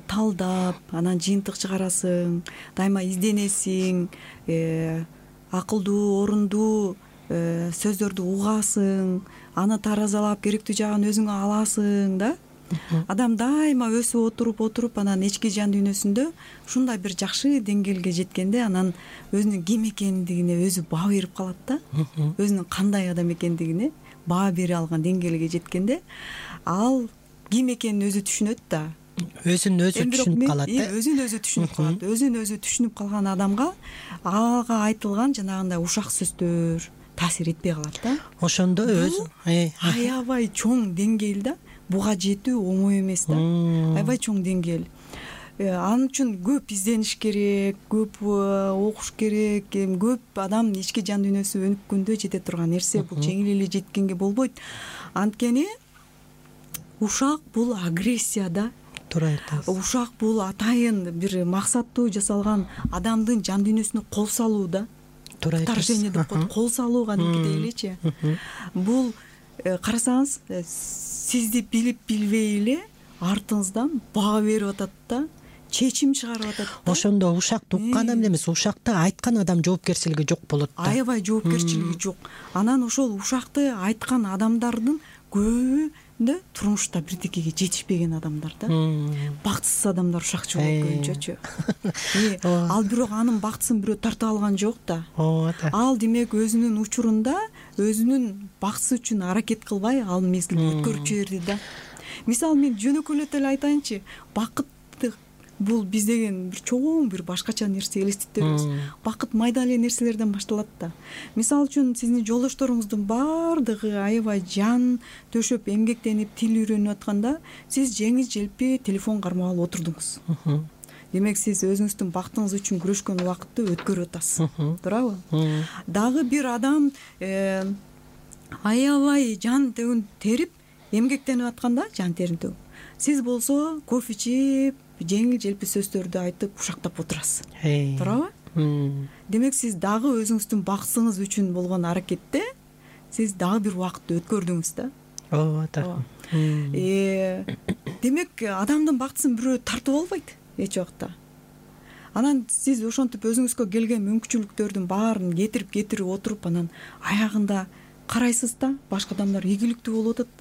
талдап, анан жыйынтык чыгарасың, дайыма изденесиң, акылдуу, орундуу сөздөрдү угасың, аны таразалап керектүү жагын өзүңө аласың да. Адам дайыма өсүп отуруп отуруп анан ички жан дүйнөсүндө ушундай бир жакшы деңгээлге жеткенде анан өзүнүн ким экендигине өзү баа берип калат да. Өзүнүн кандай адам экендигине баа бере алган деңгээлге жеткенде ал ким экенин өзү түшүнөт да. Өзүн өзү түшүнүп калат да. Өзүн өзү түшүнүп калат. Өзүн өзү түшүнүп калган адамга ага айтылган жанагындай ушак сөздөр таасир этпей калат да. Ошондо өзү аябай чоң деңгээл да. Буга жетүү оңой эмес да. Аябай чоң деңгээл. Ал үчүн көп издениш керек, көп окуш керек, көп адам ички жан дүйнөсү өнүккөндө жете турган нерсе. Бул жеңил эле жеткенге болбойт. Анткени ушак бул агрессия да. Туура айтасыз. Ушак бул атайын бир максаттуу жасалган адамдын жан дүйнөсүнө кол салуу да. Туура айтасыз. Вторжение деп коет, кол салуу кадимкидей элечи. Бул карасаңыз сизди билип билбей эле артыңыздан баа берип атат да, чечим чыгарып атат да. Ошондо ушакты уккан адам эмес, ушакты айткан адам жоопкерчилиги жок болот да. Аябай жоопкерчилиги жок. Анан ошол ушакты айткан адамдардын көбү да турмушта бирдекеге жетишпеген адамдар да. Бактысыз адамдар ушакчы болуп көбүнчөчү. Ал бирок анын бактысын бирөө тартып алган жок да. Ал демек өзүнүн учурунда өзүнүн бактысы үчүн аракет кылбай ал мезгилди өткөрүп жиберди да. Мисалы мен жөнөкөйлөтө эле айтайынчы, бакыт бул биз деген бир чоң бир башкача нерсе элестетебиз. Бакыт майда эле нерселерден башталат да. Мисалы үчүн сиздин жолдошторуңуздун баардыгы аябай жан төшөп эмгектенип тил үйрөнүп атканда сиз жеңил желпи телефон кармап алып отурдуңуз. Демек сиз өзүңүздүн бактыңыз үчүн күрөшкөн убакытты өткөрүп атасыз. Туурабы? Дагы бир адам аябай жан терип эмгектенип атканда, жан терин төгүп, сиз болсо кофе ичип, жеңил желпи сөздөрдү айтып ушактап отурасыз. Туурабы? Демек сиз дагы өзүңүздүн бактысыңыз үчүн болгон аракетте сиз дагы бир убакытты өткөрдүңүз да. Ооба. Э, демек адамдын бактысын бирөө тартып албайт эч убакта. Анан сиз ошентип өзүңүзгө келген мүмкүнчүлүктөрдүн баарын кетирип кетирип отуруп анан аягында карайсыз да, башка адамдар ийгиликтүү болуп атат.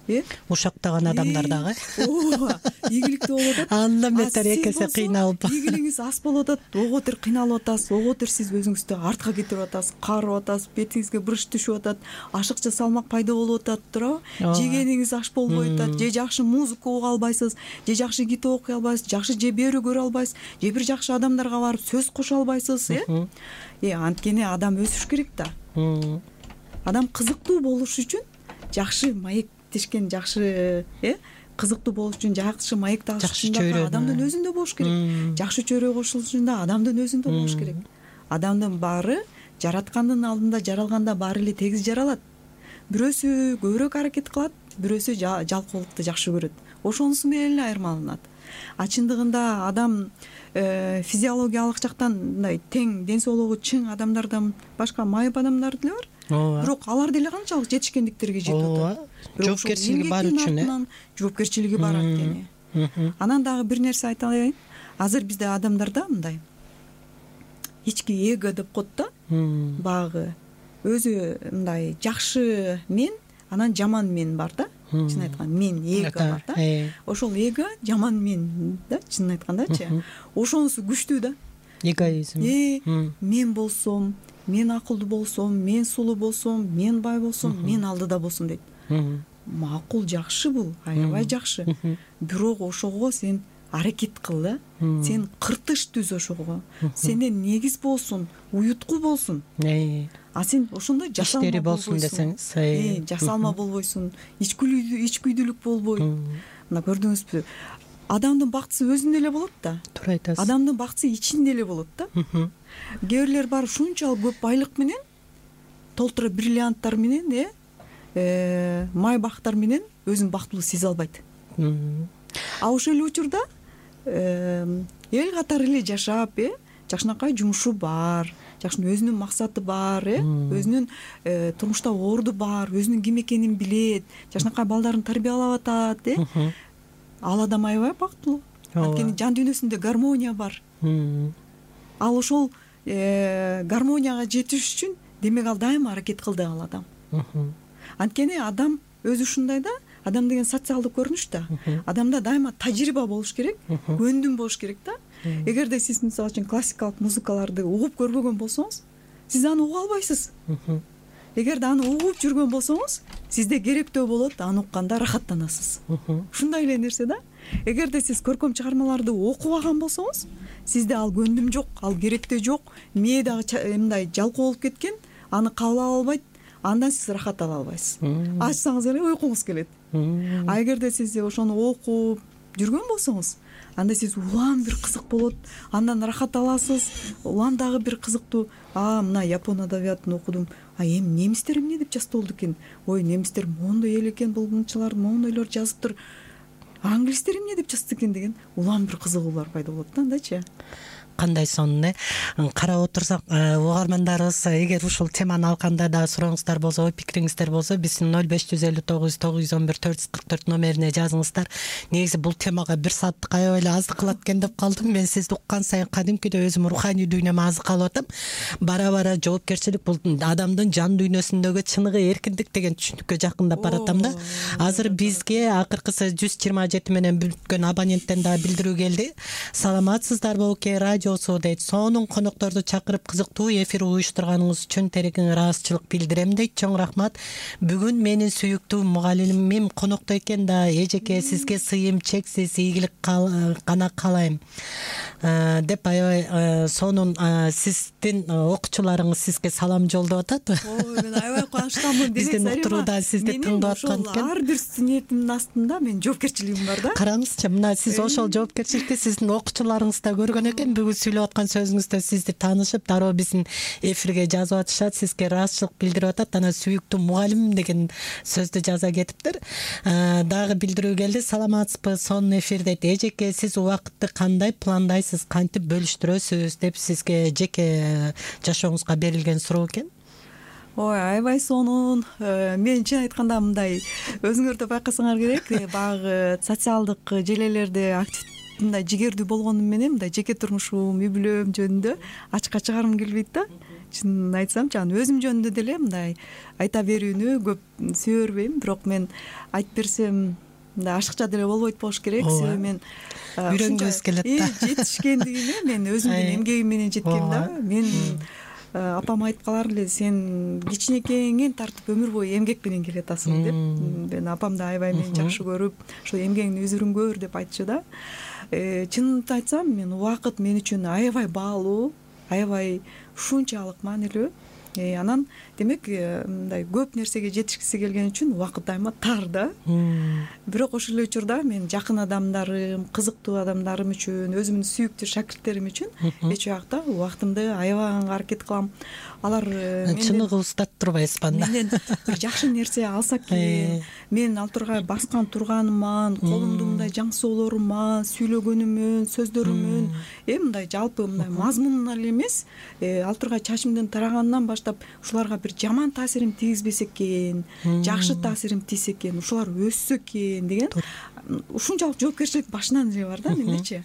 Э? Ушактаган адамдар дагы. Ооба, ийгиликтүү болуп атат. Андан бетер экесе кыйналып. Ийгилигиңиз аз болуп атат, ого бетер кыйналып атасыз, ого бетер сиз өзүңүздү артка кетирип атасыз, карып атасыз, бетиңизге брыш түшүп атат, ашыкча салмак пайда болуп атат, туурабы? Жегениңиз аш болбой атат, же жакшы музыка уга албайсыз, же жакшы китеп окуй албайсыз, жакшы же берүү көрө албайсыз, же бир жакшы адамдарга барып сөз кошо албайсыз, э? Э, анткени адам өсүш керек да. Адам кызыктуу болуш үчүн жакшы маек тишкен, жакшы, э, кызыктуу болуш үчүн жакшы маек тагыш үчүн адамдын өзүндө болуш керек. Жакшы чөйрө кошулуш үчүн да адамдын өзүндө болуш керек. Адамдын баары жараткандын алдында жаралганда баары эле тегиз жаралат. Бирөөсү көбүрөөк аракет кылат, бирөөсү жалкоолукту жакшы көрөт. Ошонусу менен эле айырмаланат. А чындыгында адам физиологиялык жактан мындай тең ден соолугу чың адамдардан башка майып адамдар деле бар. Бирок алар деле канчалык жетишкендиктерге жетип атат. Жоопкерчилиги бар үчүн, жоопкерчилиги бар анткени. Анан дагы бир нерсе айтайын. Азыр бизде адамдарда мындай ички эго деп коет да. Багы өзү мындай жакшы мен, анан жаман мен бар да. Чын айтканда мен эго бар да. Ошол эго жаман мен да, чын айткандачы. Ошонусу күчтүү да. Эгоизм. Мен болсом, мен акылдуу болсом, мен сулуу болсом, мен бай болсом, мен алдыда болсом дейт. макул, жакшы, бул аябай жакшы. Бирок ошого сен аракет кыл да. Сен кыртыш түз ошого. Сенден негиз болсун, уютку болсун. А сен ошондо жасалма болсун десең, жасалма болбойсуң, ичкүйлүү ичкүйдүүлүк болбойт. Мына көрдүңүзбү? Адамдын бактысы өзүндө эле болот да. Туура айтасыз. Адамдын бактысы ичинде эле болот да. Кээ бирлер бар ушунчалык көп байлык менен, толтура бриллианттар менен, э, май бактар менен өзүн бактылуу сезе албайт. А ошол эле учурда эл катары эле жашап, э, жакшынакай жумушу бар, жакшы өзүнүн максаты бар, э, өзүнүн турмушта орду бар, өзүнүн ким экенин билет, жакшынакай балдарын тарбиялап атат, э. Ал адам аябай бактылуу. Анткени жан дүйнөсүндө гармония бар. Ал ошол гармонияга жетиш үчүн демек ал дайыма аракет кылды ал адам. Анткени адам өзү ушундай да, адам деген социалдык көрүнүш да. Адамда дайыма тажрыйба болуш керек, көндүм болуш керек да. Эгерде сиз мисалы үчүн классикалык музыкаларды угуп көрбөгөн болсоңуз, сиз аны уга албайсыз. Эгерде аны угуп жүргөн болсоңуз, сизде керектөө болот, аны укканда рахаттанасыз. Ушундай эле нерсе да. Эгерде сиз көркөм чыгармаларды окубаган болсоңуз, сизде ал көндүм жок, ал керектөө жок, мээ дагы мындай жалкоо болуп кеткен, аны кабыл ала албайт, андан сиз рахат ала албайсыз. Ачсаңыз эле уйкуңуз келет. А эгерде сиз ошону окуп жүргөн болсоңуз, анда сиз улам бир кызык болот, андан рахат аласыз, улам дагы бир кызыктуу. А мына япон адабиятын окудум. А эми немистер эмне деп жазып экен? Ой, немистер моундай эл экен, булгунчулар моундайлар жазыптыр. Англистер эмне деп жазды экен деген улам бир кызыгуулар пайда болот да, андачы. Кандай сонун, э карап отурсак, угармандарыбыз эгер ушул теманы алганда да сурооңуздар болсо, ой пикириңиздер болсо, биздин ноль беш жүз элүү тогуз тогуз жүз он бир төрт жүз кырк төрт номерине жазыңыздар. Негизи бул темага бир сааттык аябай эле аздык кылат экен деп калдым. Мен сизди уккан сайын кадимкидей өзүм руханий дүйнөмө азык алып атам. Бара-бара жоопкерчилик бул адамдын жан дүйнөсүндөгү чыныгы эркиндик деген түшүнүккө жакындап баратам да. Азыр бизге акыркысы жүз жыйырма жети менен бүткөн абоненттен дагы билдирүү келди. Саламатсыздарбы, Окей радио дейт. Сонун конокторду чакырып кызыктуу эфир уюштурганыңыз үчүн терең ыраазычылык билдирем дейт. Чоң рахмат. Бүгүн менин сүйүктүү мугалимим конокто экен да. Эжеке, сизге сыйым чексиз ийгилик гана каалайм деп аябай сонун сиздин окуучуларыңыз сизге салам жолдоп атат. Ой, мен аябай кубанычтамын. Биздин уктурууда сизди тыңдап аткан экен. Ар бир студентимдин астында мен жоопкерчилигим бар да. Караңызчы, мына сиз ошол жоопкерчиликти сиздин окуучуларыңыз да көргөн экен. Бүгүн сүйлөп аткан сөзүңүздө сизди таанышып, дароо биздин эфирге жазып атышат, сизге ыраазычылык билдирип атат. Анан сүйүктүү мугалимим деген сөздү жаза кетиптир. Дагы билдирүү келди. Саламатсызбы, сонун эфир дейт. Эжеке, сиз убакытты кандай пландайсыз, кантип бөлүштүрөсүз деп сизге жеке жашооңузга берилген суроо экен. Ой, аябай сонун. Мен чын айтканда мындай өзүңөр да байкасаңар керек, баягы социалдык желелерде актив мындай жигердүү болгонум менен мындай жеке турмушум, үй бүлөм жөнүндө ачыкка чыгарым келбейт да. Чын айтсамчы, анан өзүм жөнүндө деле мындай айта берүүнү көп сүйө бербейм, бирок мен айтып берсем мындай ашыкча деле болбойт болуш керек. Себеби мен үйрөнгүбүз келет да. Жетишкендигиме мен өзүмдүн эмгегим менен жеткем да. Мен апам айтып калар эле, сен кичинекейиңен тартып өмүр бою эмгек менен келатасың деп. Мен апам да аябай мени жакшы көрүп, ошо эмгегиңди үзүрүн көр деп айтчу да. Чынымды айтсам, мен убакыт мен үчүн аябай баалуу, аябай ушунчалык маанилүү. Анан демек мындай көп нерсеге жетишкиси келген үчүн убакыт дайыма тар да. Бирок ошол эле учурда мен жакын адамдарым, кызыктуу адамдарым үчүн, өзүмдүн сүйүктүү шакирттерим үчүн эч убакта убактымды аябаганга аракет кылам. Алар чыныгы устат турбайсызбы анда? Менден бир жакшы нерсе алса экен, мен ал тургай баскан турганыман, колумду мындай жаң соолоруман, сүйлөгөнүмөн, сөздөрүмөн, э мындай жалпы мындай мазмунун эле эмес, ал тургай чачымдын тараганынан баштап ушуларга бир жаман таасирим тийгизбесе экен, жакшы таасирим тийсе экен, ушулар өссө экен деген ушунчалык жоопкерчилик башынан эле бар да мендечи.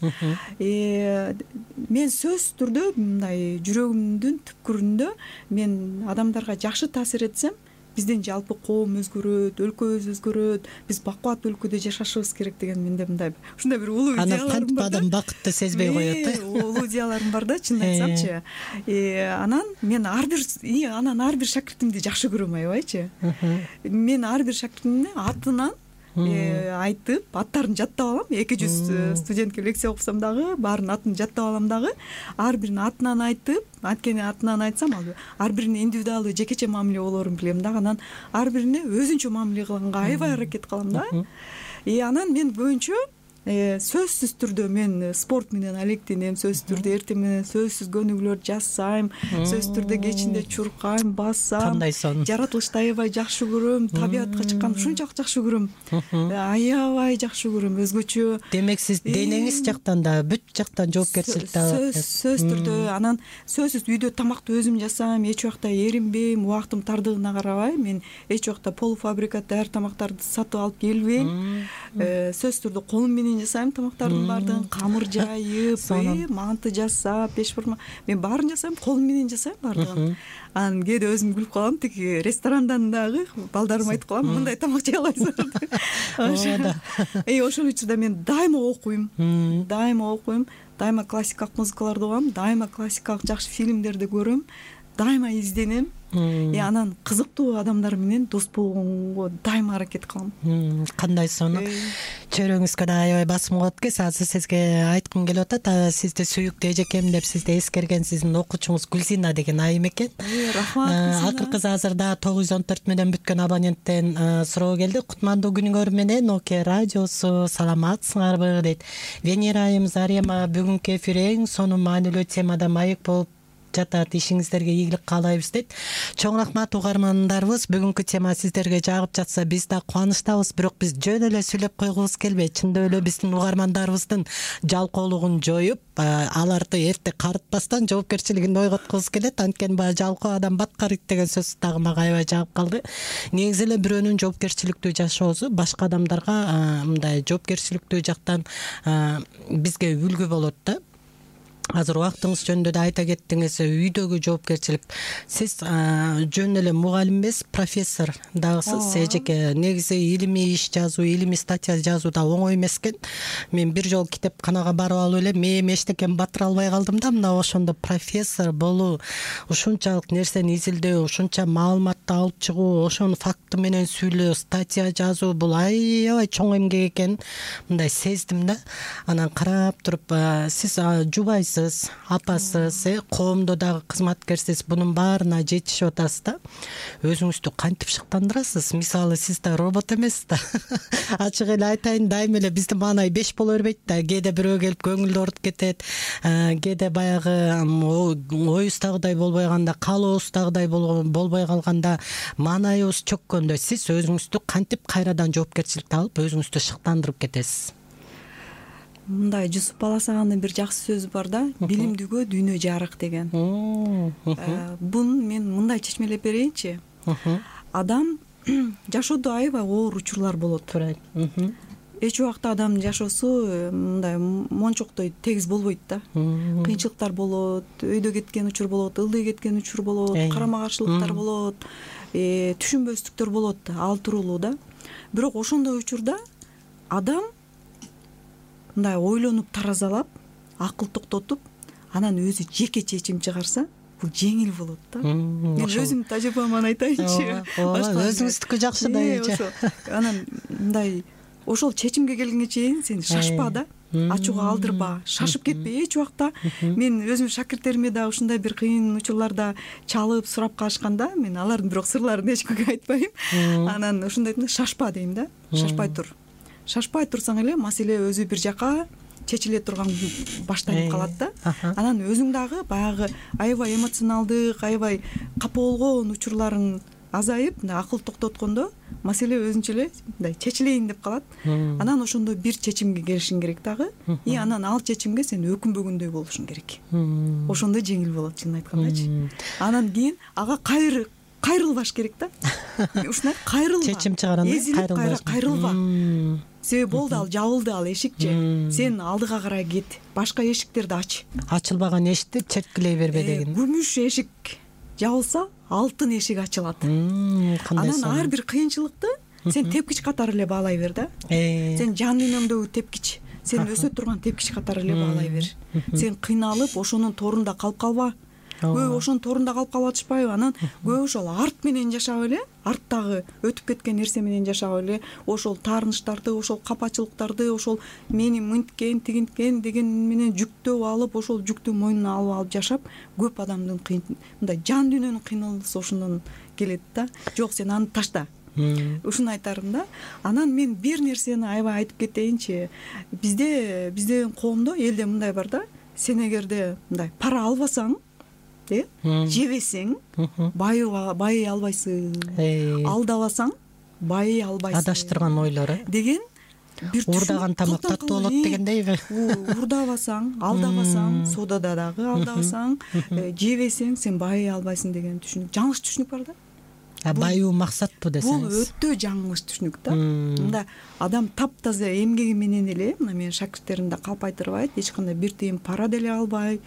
Мен сөзсүз түрдө мындай жүрөгүмдүн түпкүрүндө мен адамдарга жакшы таасир этсем, биздин жалпы коом өзгөрөт, өлкөбүз өзгөрөт, биз бакубат өлкөдө жашашыбыз керек деген менде мындай ушундай бир улуу идеяларым бар. Анан кантип адам бакытты сезбей коет э? Улуу идеяларым бар да, чынын айтсамчы. Анан мен ар бир анан ар бир шакиртимди жакшы көрөм аябайчы. Мен ар бир шакиртимдин атынан айтып, аттарын жаттап алам. эки жүз студентке лекция окусам дагы баарынын атын жаттап алам дагы. Ар биринин атынан айтып, анткени атынан айтсам ал ар бирине индивидуалдуу жекече мамиле болоорун билем дагы. Анан ар бирине өзүнчө мамиле кылганга аябай аракет кылам да. И анан мен көбүнчө сөзсүз түрдө мен спорт менен алектенем, сөзсүз түрдө эртең менен сөзсүз көнүгүүлөр жасайм, сөзсүз түрдө кечинде чуркайм, басам. Кандай сон? Жаратылышты аябай жакшы көрөм, табиятка чыкканды ушунчалык жакшы көрөм. Аябай жакшы көрөм, өзгөчө. Демек сиз денеңиз жактан да, бүт жактан жоопкерчиликти алып. Сөзсүз түрдө, анан сөзсүз үйдө тамакты өзүм жасайм, эч убакта эринбейм, убактым тардыгына карабай, мен эч убакта полуфабрикат даяр тамактарды сатып алып келбейм. Сөзсүз түрдө колум менен жасайм тамактардын баардыгын, камыр жайып, манты жасап, пешбурма, мен баарын жасайм, колум менен жасайм баардыгын. Анан кээде өзүм күлүп калам, тиги ресторандан дагы балдарыма айтып калам, мындай тамак жей аласыздар деп. Эй, ошол учурда мен дайыма окуйм, дайыма окуйм, дайыма классикалык музыкаларды угам, дайыма классикалык жакшы фильмдерди көрөм, дайыма изденем. И анан кызыктуу адамдар менен дос болгонго дайыма аракет кылам. Кандай сону чөйрөңүзгө да аябай басым болот экен. Азыр сизге айткым келип атат, сизди сүйүктүү эжекем деп сизди эскерген сиздин окуучуңуз Гүлзина деген айым экен. Рахмат. Акыркы азырда тогуз жүз он төрт менен бүткөн абоненттен суроо келди. Кутмандуу күнүңөр менен Оке радиосу, саламатсыңарбы дейт. Венера айым Зарема, бүгүнкү эфир эң сонун маанилүү темада маек болуп жатат, ишиңиздерге ийгилик каалайбыз дейт. Чоң рахмат угармандарыбыз. Бүгүнкү тема сиздерге жагып жатса, биз да кубанычтабыз, бирок биз жөн эле сүйлөп койгубуз келбейт. Чындап эле биздин угармандарыбыздын жалкоолугун жоюп, аларды эрте карытпастан жоопкерчилигин ойготкубуз келет. Анткени баягы жалкоо адам бат карыйт деген сөз дагы мага аябай жагып калды. Негизи эле бирөөнүн жоопкерчиликтүү жашоосу башка адамдарга мындай жоопкерчиликтүү жактан бизге үлгү болот да. Азыр убактыңыз жөнүндө да айта кеттиңиз, үйдөгү жоопкерчилик. Сиз жөн эле мугалим эмес, профессор дагысыз. Эжеке негизи илимий иш жазуу, илимий статья жазуу да оңой эмес экен. Мен бир жолу китепканага барып алып эле мээм эчтекени батыра албай калдым да. Мына ошондо профессор болуу, ушунчалык нерсени изилдөө, ушунча маалыматты алып чыгуу, ошону факты менен сүйлөө, статья жазуу бул аябай чоң эмгек экенин мындай сездим да. Анан карап туруп, сиз жубайсыз, апасыз, э, коомдо дагы кызматкерсиз, бунун баарына жетишип атасыз да. Өзүңүздү кантип шыктандырасыз? Мисалы, сиз да робот эмессиз да. Ачык эле айтайын, дайыма эле биздин маанай беш боло бербейт да. Кээде бирөө келип көңүлдү орутуп кетет, кээде баягы оюбуздагыдай болбой калганда, каалообуздагыдай болбой калганда, маанайыбыз чөккөндө сиз өзүңүздү кантип кайрадан жоопкерчиликти алып, өзүңүздү шыктандырып кетесиз? Мындай Жусуп Баласагандын бир жакшы сөзү бар да, билимдүүгө дүйнө жарык деген. Бун мен мындай чечмелеп берейинчи. Адам жашоодо аябай оор учурлар болот. Эч убакта адамдын жашоосу мындай мончоктой тегиз болбойт да. Кыйынчылыктар болот, өйдө кеткен учур болот, ылдый кеткен учур болот, карама каршылыктар болот, түшүнбөстүктөр болот да, ал тууралуу да. Бирок ошондой учурда адам мындай ойлонуп таразалап, акыл токтотуп, анан өзү жеке чечим чыгарса, бул жеңил болот да. Мен өзүмдүн тажрыйбаман айтайынчы. Өзүңүздүкү жакшы да эже. Анан мындай ошол чечимге келгенге чейин сен шашпа да, ачууга алдырба, шашып кетпе эч убакта. Мен өзүм шакирттериме да ушундай бир кыйын учурларда чалып сурап калышканда, мен алардын бирок сырларын эч кимге айтпайм. Анан ушундай айтам, шашпа дейм да, шашпай тур. Шашпай турсаң эле маселе өзү бир жака чечиле турган баштанып калат да. Анан өзүң дагы баягы аябай эмоционалдык, аябай капа болгон учурларың азайып, мындай акыл токтоткондо маселе өзүнчө эле мындай чечилейин деп калат. Анан ошондо бир чечимге келишиң керек дагы. И анан ал чечимге сен өкүнбөгөндөй болушуң керек. Ошондо жеңил болот, чынын айткандачы. Анан кийин ага кайры кайрылбаш керек да. Ушундай кайрылба. Чечим чыгарганда кайрылба. Кайрылба. Себеби болду, ал жабылды, ал эшикчи. Сен алдыга карай кет. Башка эшиктерди ач. Ачылбаган эшикти черткилей бербе деген. Күмүш эшик жабылса, алтын эшик ачылат. Кандай анан сонун. ар бир кыйынчылыкты сен тепкич катары эле баалай бер да. Сен жан дүйнөңдөгү тепкич, сен өсө турган тепкич катары эле баалай бер. Сен кыйналып ошонун торунда калып калба. Көп ошонун торунда калып калып атышпайбы? Анан көп ошол арт менен жашап эле, арттагы өтүп кеткен нерсе менен жашап эле, ошол таарынычтарды, ошол капачылыктарды, ошол мени мынткен, тигинткен деген менен жүктөп алып, ошол жүктү мойнуна алып алып жашап, көп адамдын кыйын мындай жан дүйнөнүн кыйналысы ошондон келет да. Жок, сен аны ташта. Ушуну айтарым да. Анан мен бир нерсени аябай айтып кетейинчи. Бизде биздин коомдо, элде мындай бар да. Сен эгерде мындай пара албасаң, э, жебесең, байый байый албайсың. Алдабасаң, байый албайсың. Адаштырган ойлор э деген бир уурдаган тамак таттуу болот дегендейби? Уурдабасаң, алдабасаң, содада дагы алдабасаң, жебесең, сен байый албайсың деген түшүнүк. Жаңылыш түшүнүк бар да. Байуу максатпы десеңиз. Бул өтө жаңылыш түшүнүк да. Мында адам таптаза эмгеги менен эле, мына менин шакирттерим да калп айтырбайт, эч кандай бир тыйын пара деле албай,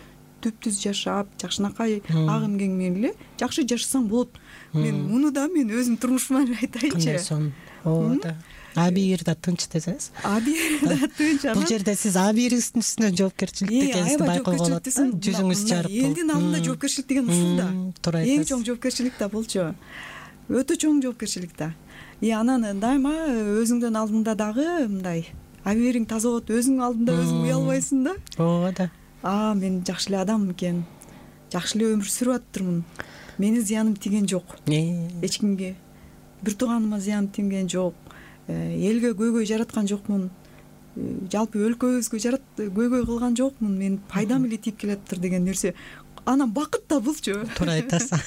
түптүз жашап, жакшынакай ак эмгеги менен эле жакшы жашасаң болот. Мен муну да мен өзүм турмушума айтайынчы. Кандай сонун. Ооба да. Абийир да тынч десеңиз. Абийир да тынч. Бул жерде сиз абийириңиздин үстүнөн жоопкерчиликти экенинизди байкоого болот. Жүзүңүз чарып. Элдин алдында жоопкерчилик деген ушул да. Туура айтасыз. Эң чоң жоопкерчилик да болчу. Өтө чоң жоопкерчилик да. И анан дайыма өзүңдүн алдыңда дагы мындай абийириң таза болот, өзүңдүн алдында өзүң уялбайсың да. Ооба да. А, мен жакшы эле адам экен. Жакшы эле өмүр сүрүп атырмын. Менин зыяным тийген жок. Эч кимге. Бир тууганыма зыяным тийген жок. Элге көйгөй жараткан жокмун. Жалпы өлкөбүзгө жарат көйгөй кылган жокмун. Мен пайдам эле тийип келатыр деген нерсе. Анан бакыт да булчу. Туура айтасыз.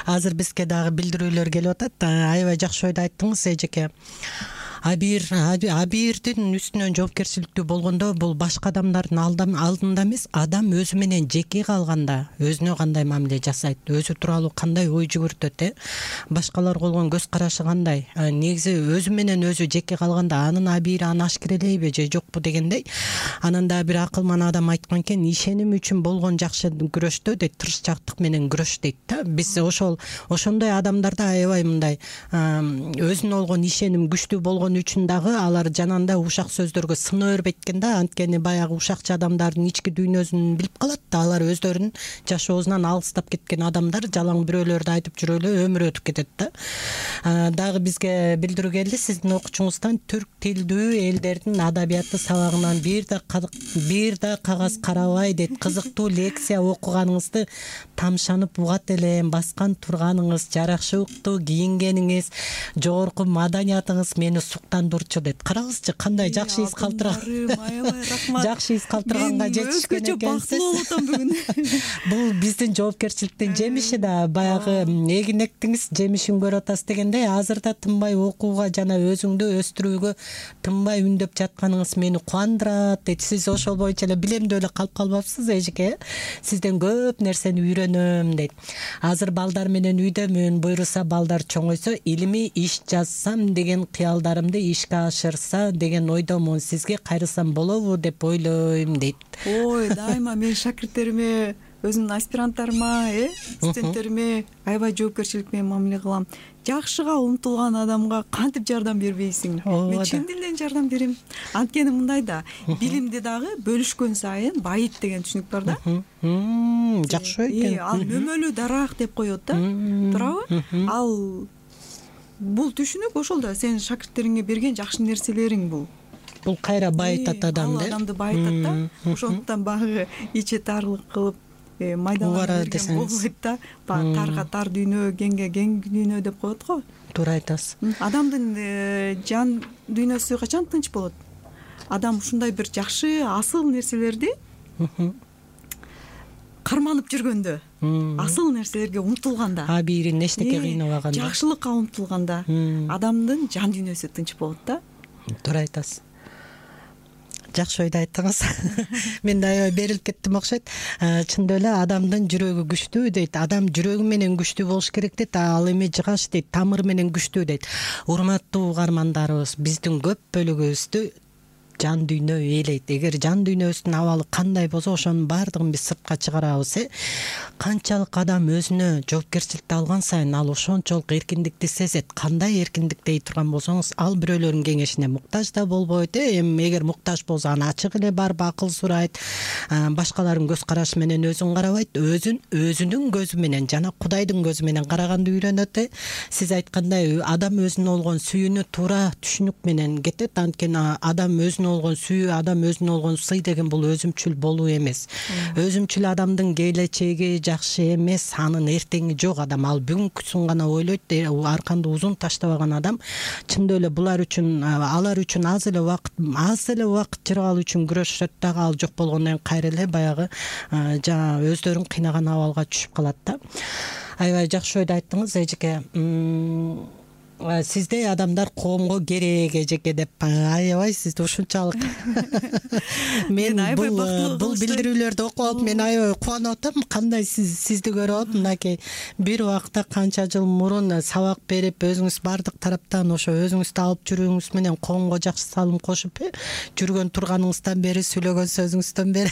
Азыр бизге дагы билдирүүлөр келип атат. Аябай жакшы ойду айттыңыз, эжеке. Абийир абийирдин үстүнөн жоопкерчиликтүү болгондо бул башка адамдардын алдында эмес, адам өзү менен жеке калганда өзүнө кандай мамиле жасайт, өзү тууралуу кандай ой жүгүртөт, э башкаларга болгон көз карашы кандай, негизи өзү менен өзү жеке калганда анын абийири аны ашкерелейби же жокпу дегендей. Анан да бир акылман адам айткан экен, ишеним үчүн болгон жакшы күрөштө дейт, тырышчаактык менен күрөш дейт да. Биз ошол ошондой адамдарда аябай мындай өзүнө болгон ишеним күчтүү болгон үчүн дагы алар жанагындай ушак сөздөргө сына бербейт экен да. Анткени баягы ушакчы адамдардын ички дүйнөсүн билип калат да. Алар өздөрүнүн жашоосунан алыстап кеткен адамдар, жалаң бирөөлөрдү айтып жүрүп эле өмүр өтүп кетет да. Дагы бизге билдирүү келди сиздин окуучуңуздан, түрк тилдүү элдердин адабияты сабагынан бир да бир да кагаз карабай дейт. Кызыктуу лекция окуганыңызды тамшанып угат элем. Баскан турганыңыз, жаракшылыктуу кийингениңиз, жогорку маданиятыңыз мени суктандырчу дейт. Караңызчы, кандай жакшы из калтырган. Жакшы из калтырганга жетишкен экенсиз. Мен өзгөчө бактылуу болуп атам бүгүн. Бул биздин жоопкерчиликтин жемиши да. Баягы эгин эктиңиз, жемишин көрүп атасыз дегендей, азыр да тынбай окууга жана өзүңдү өстүрүүгө тынбай үндөп жатканыңыз мени кубандырат дейт. Сиз ошол боюнча эле билемдүү эле калып калбапсыз, эжеке. Сизден көп нерсени үйрөнөм дейт. Азыр балдар менен үйдөмүн, буйруса балдар чоңойсо илимий иш жазсам деген кыялдарымды ишке ашырса деген ойдомун. Сизге кайрылсам болобу деп ойлойм дейт. Ой, дайыма мен шакирттериме, өзүмдүн аспиранттарыма, э, студенттериме аябай жоопкерчилик менен мамиле кылам. Жакшыга умтулган адамга кантип жардам бербейсиң? Мен чын дилден жардам берем. Анткени мындай да, билимди дагы бөлүшкөн сайын байыт деген түшүнүк бар да. Жакшы экен. Ал мөмөлүү дарак деп коет да. Туурабы? Ал бул түшүнүк ошол да сен шакирттериңе берген жакшы нерселериң бул. Бул кайра байытат адамды. Ал адамды байытат да. Ошондуктан багы ичи тарлык кылып майдалана берген болбойт да. Тарга тар дүйнө, кеңге кең дүйнө деп коет го. Туура айтасыз. Адамдын жан дүйнөсү качан тынч болот? Адам ушундай бир жакшы, асыл нерселерди карманып жүргөндө, асыл нерселерге умтулганда, абийирин эчтеке кыйнабаганда, жакшылыкка умтулганда адамдын жан дүйнөсү тынч болот да. Туура айтасыз. Жакшы ойду айттыңыз. Мен да аябай берилип кеттим окшойт. Чындап эле адамдын жүрөгү күчтүү дейт. Адам жүрөгү менен күчтүү болуш керек дейт. Ал эми жыгаш дейт, тамыр менен күчтүү дейт. Урматтуу угармандарыбыз, биздин көп бөлүгүбүздү жан дүйнө ээлейт. Эгер жан дүйнөбүздүн абалы кандай болсо ошонун баардыгын биз сыртка чыгарабыз. Э канчалык адам өзүнө жоопкерчиликти алган сайын ал ошончолук эркиндикти сезет. Кандай эркиндик дей турган болсоңуз, ал бирөөлөрдүн кеңешине муктаж да болбойт. Э эми эгер муктаж болсо аны ачык эле барып акыл сурайт, башкалардын көз карашы менен өзүн карабайт, өзүн өзүнүн көзү менен жана Кудайдын көзү менен караганды үйрөнөт. Э сиз айткандай, адам өзүнө болгон сүйүүнү туура түшүнүк менен кетет. Анткени адам өзүнө болгон сүйүү, адам өзүнө болгон сый деген бул өзүмчүл болуу эмес. Өзүмчүл адамдын келечеги жакшы эмес, анын эртеңи жок адам. Ал бүгүнкүсүн гана ойлойт. Арканды узун таштабаган адам чындап эле булар үчүн, алар үчүн аз эле убакыт, аз эле убакыт жыргал үчүн күрөшөт дагы, ал жок болгондон кийин кайра эле баягы жана өздөрүн кыйнаган абалга түшүп калат да. Аябай жакшы ойду айттыңыз эжеке. Сиздей адамдар коомго керек эжеке деп. Аябай сизди ушунчалык мен бул бул билдирүүлөрдү окуп алып мен аябай кубанып атам. Кандай сиз сизди көрүп алып, мынакей бир убакта канча жыл мурун сабак берип, өзүңүз бардык тараптан ошо өзүңүздү алып жүрүүңүз менен коомго жакшы салым кошуп, жүргөн турганыңыздан бери, сүйлөгөн сөзүңүздөн бери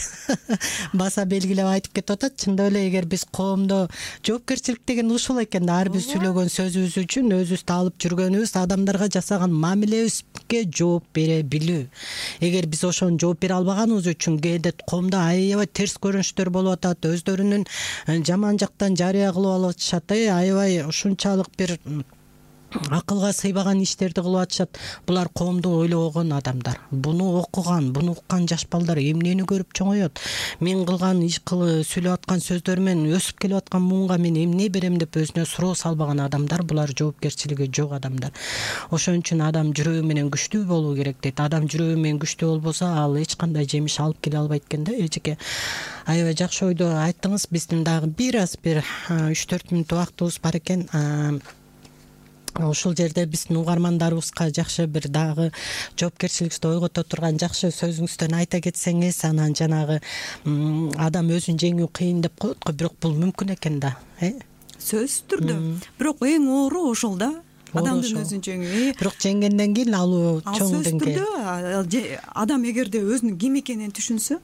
баса белгилеп айтып кетип атат. Чындап эле эгер биз коомдо жоопкерчилик деген ушул экен да, ар бир сүйлөгөн сөзүбүз үчүн өзүбүздү алып жүргөнүбүз, адамдарга жасаган мамилебизге жооп бере билүү. Эгер биз ошону жооп бере албаганыбыз үчүн кээде коомдо аябай терс көрүнүштөр болуп атат, өздөрүнүн жаман жактан жарыя кылып алып атышат. Аябай ушунчалык бир акылга сыйбаган иштерди кылып атышат. Булар коомду ойлобогон адамдар. Буну окуган, буну уккан жаш балдар эмнени көрүп чоңоет? Мен кылган иш кылып сүйлөп аткан сөздөр менен өсүп келип аткан муунга мен эмне берем деп өзүнө суроо салбаган адамдар, булар жоопкерчилиги жок адамдар. Ошон үчүн адам жүрөгү менен күчтүү болуу керек дейт. Адам жүрөгү менен күчтүү болбосо, ал эч кандай жемиш алып келе албайт экен да эжеке. Аябай жакшы ойду айттыңыз. Биздин дагы бир аз бир үч төрт мүнөт убактыбыз бар экен. Ушул жерде биздин угармандарыбызга жакшы бир дагы жоопкерчиликти ойгото турган жакшы сөзүңүздөн айта кетсеңиз, анан жанагы адам өзүн жеңүү кыйын деп коет го, бирок бул мүмкүн экен да, э? Сөзсүз түрдө. Бирок эң оору ошол да. Адамдын өзүн жеңүү. Бирок жеңгенден кийин ал чоң деңгээлде. Сөзсүз түрдө адам эгерде өзүнүн ким экенин түшүнсө,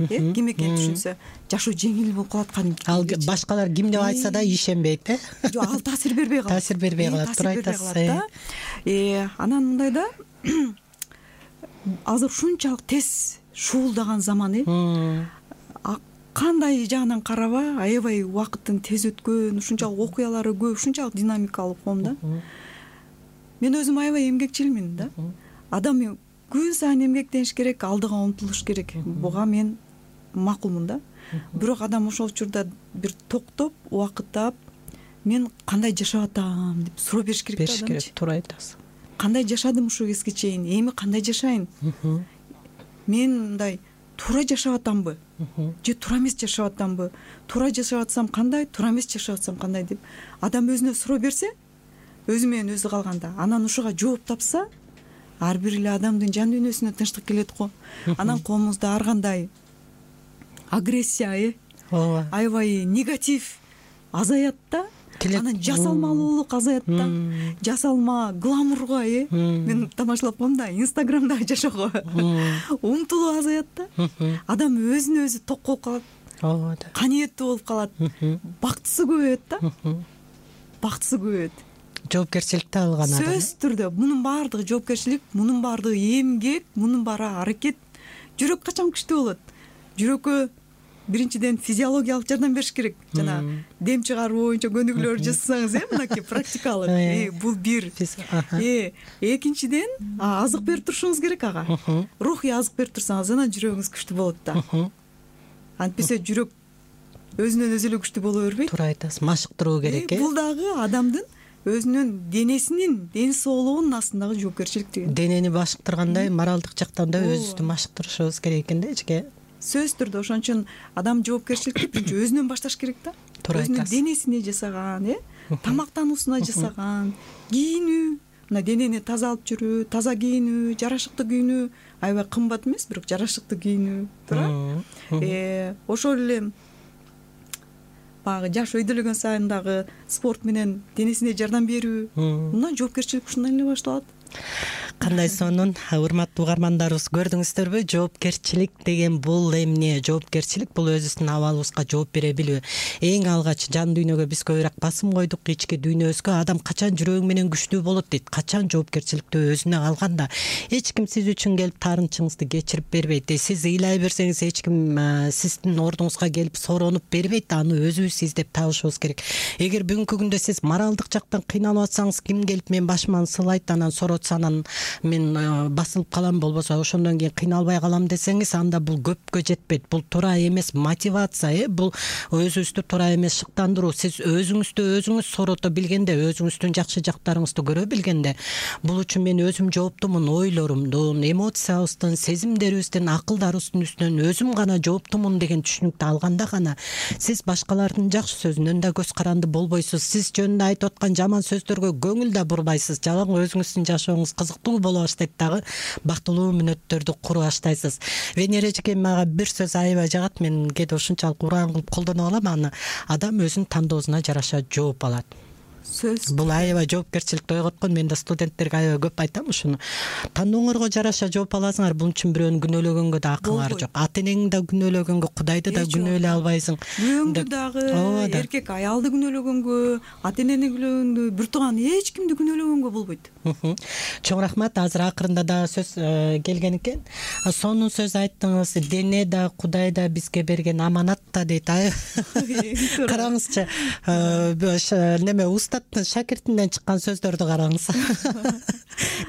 э, ким экенин түшүнсө, жашоо жеңил болуп калат кадимки. Ал башкалар ким деп айтса да ишенбейт, э? Жок, ал таасир бербей калат. Таасир бербей калат, туура айтасыз. Э, анан мындай да, азыр ушунчалык тез шуулдаган заман, э? Кандай жагынан караба, аябай убакыттын тез өткөн, ушунчалык окуялары көп, ушунчалык динамикалуу коом да. Мен өзүм аябай эмгекчилмин да. Адам күн сайын эмгектениш керек, алдыга умтулуш керек. Буга мен макулмун да. Бирок адам ошол учурда бир токтоп, убакыттап, мен кандай жашап атам деп суроо бериш керек да. Бериш керек, туура айтасыз. Кандай жашадым ушул кезге чейин, эми кандай жашайын? Мен мындай туура жашап атамбы? Же туура эмес жашап атамбы? Туура жашап атсам кандай, туура эмес жашап атсам кандай деп адам өзүнө суроо берсе, өзү менен өзү калганда, анан ушуга жооп тапса, ар бир эле адамдын жан дүйнөсүнө тынчтык келет го. Анан коомубузда ар кандай агрессия, э, ооба, аябай негатив азаят да. Анан жасалмалуулук азаят да. Жасалма, гламурга, э, мен тамашалап коем да, Инстаграмда жашоого умтулуу азаят да. Адам өзүнө өзү ток болуп калат. Ооба да. Каниеттүү болуп калат. Бактысы көбөйөт да. Бактысы көбөйөт. Жоопкерчиликти алган адам. Сөзсүз түрдө мунун баардыгы жоопкерчилик, мунун баардыгы эмгек, мунун баары аракет. Жүрөк качан күчтүү болот? Жүрөккө биринчиден физиологиялык жардам бериш керек. Жана дем чыгаруу боюнча көнүгүүлөр жасасаңыз, э, мынакей практикалык, э, бул бир. Э, экинчиден азык берип турушуңуз керек ага. Рухий азык берип турсаңыз, анан жүрөгүңүз күчтүү болот да. Антпесе жүрөк өзүнөн өзү эле күчтүү боло бербейт. Туура айтасыз, машыктыруу керек, э. Бул дагы адамдын өзүнүн денесинин, ден соолугунун астындагы жоопкерчилик деген. Денени машыктыргандай, моралдык жактан да өзүбүздү машыктырышыбыз керек экен да эчке. Сөзсүз түрдө ошон үчүн адам жоопкерчиликти биринчи өзүнөн башташ керек да. Өзүнүн денесине жасаган, э, тамактануусуна жасаган, кийинүү, мына денени таза алып жүрүү, таза кийинүү, жарашыктуу кийинүү, аябай кымбат эмес, бирок жарашыктуу кийинүү, туура. Э, ошол эле баягы жаш өйдөлөгөн сайын дагы спорт менен денесине жардам берүү. Мына жоопкерчилик ушундан эле башталат. кандай сонун урматтуу угармандарыбыз, көрдүңүздөрбү? Жоопкерчилик деген бул эмне? Жоопкерчилик бул өзүбүздүн абалыбызга жооп бере билүү. Эң алгач жан дүйнөгө биз көбүрөөк басым койдук, ички дүйнөбүзгө. Адам качан жүрөгү менен күчтүү болот дейт, качан жоопкерчиликти өзүнө алганда. Эч ким сиз үчүн келип таарынчыңызды кечирип бербейт. Сиз ыйлай берсеңиз эч ким сиздин ордуңузга келип соронуп бербейт. Аны өзүбүз издеп табышыбыз керек. Эгер бүгүнкү күндө сиз моралдык жактан кыйналып атсаңыз, ким келип мен башыман сылайт, анан соротса, анан мен басылып калам, болбосо ошондон кийин кыйналбай калам десеңиз, анда бул көпкө жетпейт. Бул туура эмес мотивация, э бул өзүңүздү туура эмес шыктандыруу. Сиз өзүңүздү өзүңүз сорото билгенде, өзүңүздүн жакшы жактарыңызды көрө билгенде, бул үчүн мен өзүм жооптумун, ойлорумдун, эмоциябыздын, сезимдерибиздин, акылдарыбыздын үстүнөн өзүм гана жооптумун деген түшүнүктү алганда гана сиз башкалардын жакшы сөзүнөн да көз каранды болбойсуз. Сиз жөнүндө айтып аткан жаман сөздөргө көңүл да бурбайсыз. Жалаң өзүңүздүн жашооңуз кызыктуу боло баштайт, дагы бактылуу мүнөттөрдү кура баштайсыз. Венера эжеке мага бир сөз аябай жагат. Мен кээде ушунчалык уран кылып колдоно алам аны. Адам өзүнүн тандоосуна жараша жооп алат. Сөз бул аябай жоопкерчиликти ойготкон. Мен да студенттерге аябай көп айтам ушуну. Тандооңорго жараша жооп аласыңар. Бул үчүн бирөөнү күнөөлөгөнгө да акыңар жок. Ата энеңди да күнөөлөгөнгө, Кудайды да күнөөлөй албайсың. Бирөөңдү дагы, эркек аялды күнөөлөгөнгө, ата энени күнөөлөгөнгө, бир тууган эч кимди күнөөлөгөнгө болбойт. Чоң рахмат. Азыр акырында да сөз келген экен. Сонун сөз айттыңыз. Дене да, Кудай да бизге берген аманат да дейт. Караңызчы, неме устаттын шакиртинден чыккан сөздөрдү караңыз.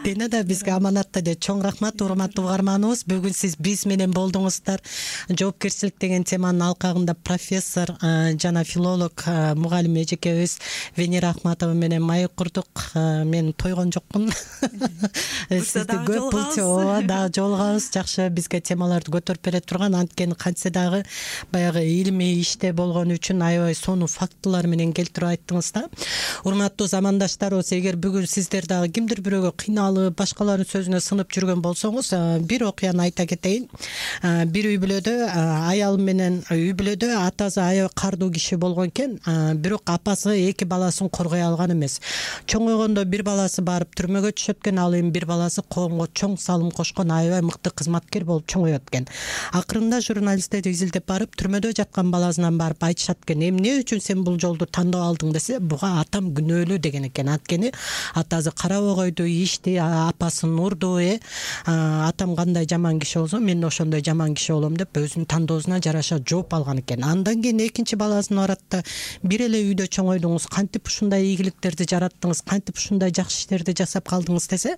Дене да бизге аманат да дейт. Чоң рахмат урматтуу угарманыбыз. Бүгүн сиз биз менен болдуңуздар. Жоопкерчилик деген теманын алкагында профессор жана филолог мугалим эжекебиз Венера Ахматова менен маек курдук. Мен тойгон жокмун. Сизди көп булчоо да жолугабыз. Жакшы бизге темаларды көтөрүп бере турган, анткени кантсе дагы баягы илимий иште болгон үчүн аябай сонун фактылар менен келтирип айттыңыз да. Урматтуу замандаштарыбыз, эгер бүгүн сиздер дагы кимдир бирөөгө кыйналып, башкалардын сөзүнө сынып жүргөн болсоңуз, бир окуяны айта кетейин. Бир үй бүлөдө аял менен үй бүлөдө атасы аябай кардуу киши болгон экен, бирок апасы эки баласын коргой алган эмес. Чоңойгондо бир баласы барып түрмөгө түшөт экен, ал эми бир баласы коомго чоң салым кошкон аябай мыкты кызматкер болуп чоңоет экен. Акырында журналисттер изилдеп барып, түрмөдө жаткан баласынан барып айтышат экен, эмне үчүн сен бул жолду тандап алдың десе, буга атам күнөөлүү деген экен. Анткени атасы карабай койду, ишти, апасын урду, э атам кандай жаман киши болсо, мен да ошондой жаман киши болом деп өзүнүн тандоосуна жараша жооп алган экен. Андан кийин экинчи баласын барат да, бир эле үйдө чоңойдуңуз, кантип ушундай ийгиликтерди жараттыңыз, кантип ушундай жакшы иштерди жасап калдыңыз десе,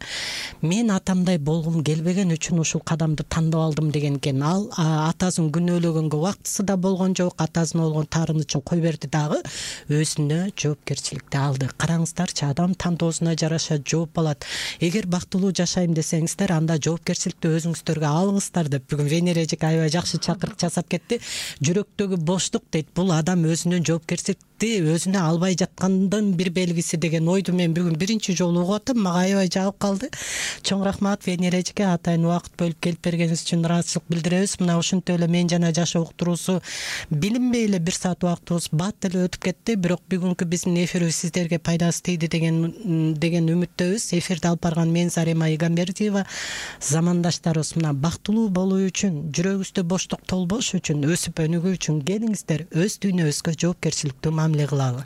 мен атамдай болгум келбеген үчүн ушул кадамды тандап алдым деген экен. Ал атасын күнөөлөгөнгө убактысы да болгон жок, атасына болгон таарынычын кой берди, дагы өзүнө жоопкерчиликти алды. Караңыздарчы, адам тандоосуна жараша жооп алат. Эгер бактылуу жашайм десеңиздер, анда жоопкерчиликти өзүңүздөргө алыңыздар деп бүгүн Венера эжеке аябай жакшы чакырык жасап кетти. Жүрөктөгү боштук дейт, бул адам өзүнүн жоопкерчилик өзүнө албай жаткандын бир белгиси деген ойду мен бүгүн биринчи жолу угуп атам. Мага аябай жагып калды. Чоң рахмат Венера эжеке, атайын убакыт бөлүп келип бергениңиз үчүн ыраазычылык билдиребиз. Мына ушинтип эле мен жана жашоо уктуруусу билинбей эле бир саат убактыбыз бат эле өтүп кетти. Бирок бүгүнкү биздин эфирибиз сиздерге пайдасы тийди деген деген үмүттөбүз. Эфирди алып барган мен Зарема Игамбердиева, замандаштарыбыз мына бактылуу болуу үчүн, жүрөгүбүздө боштук толбош үчүн, өсүп өнүгүү үчүн келиңиздер өз дүйнөбүзгө жоопкерчиликтүү мамиле кылалы.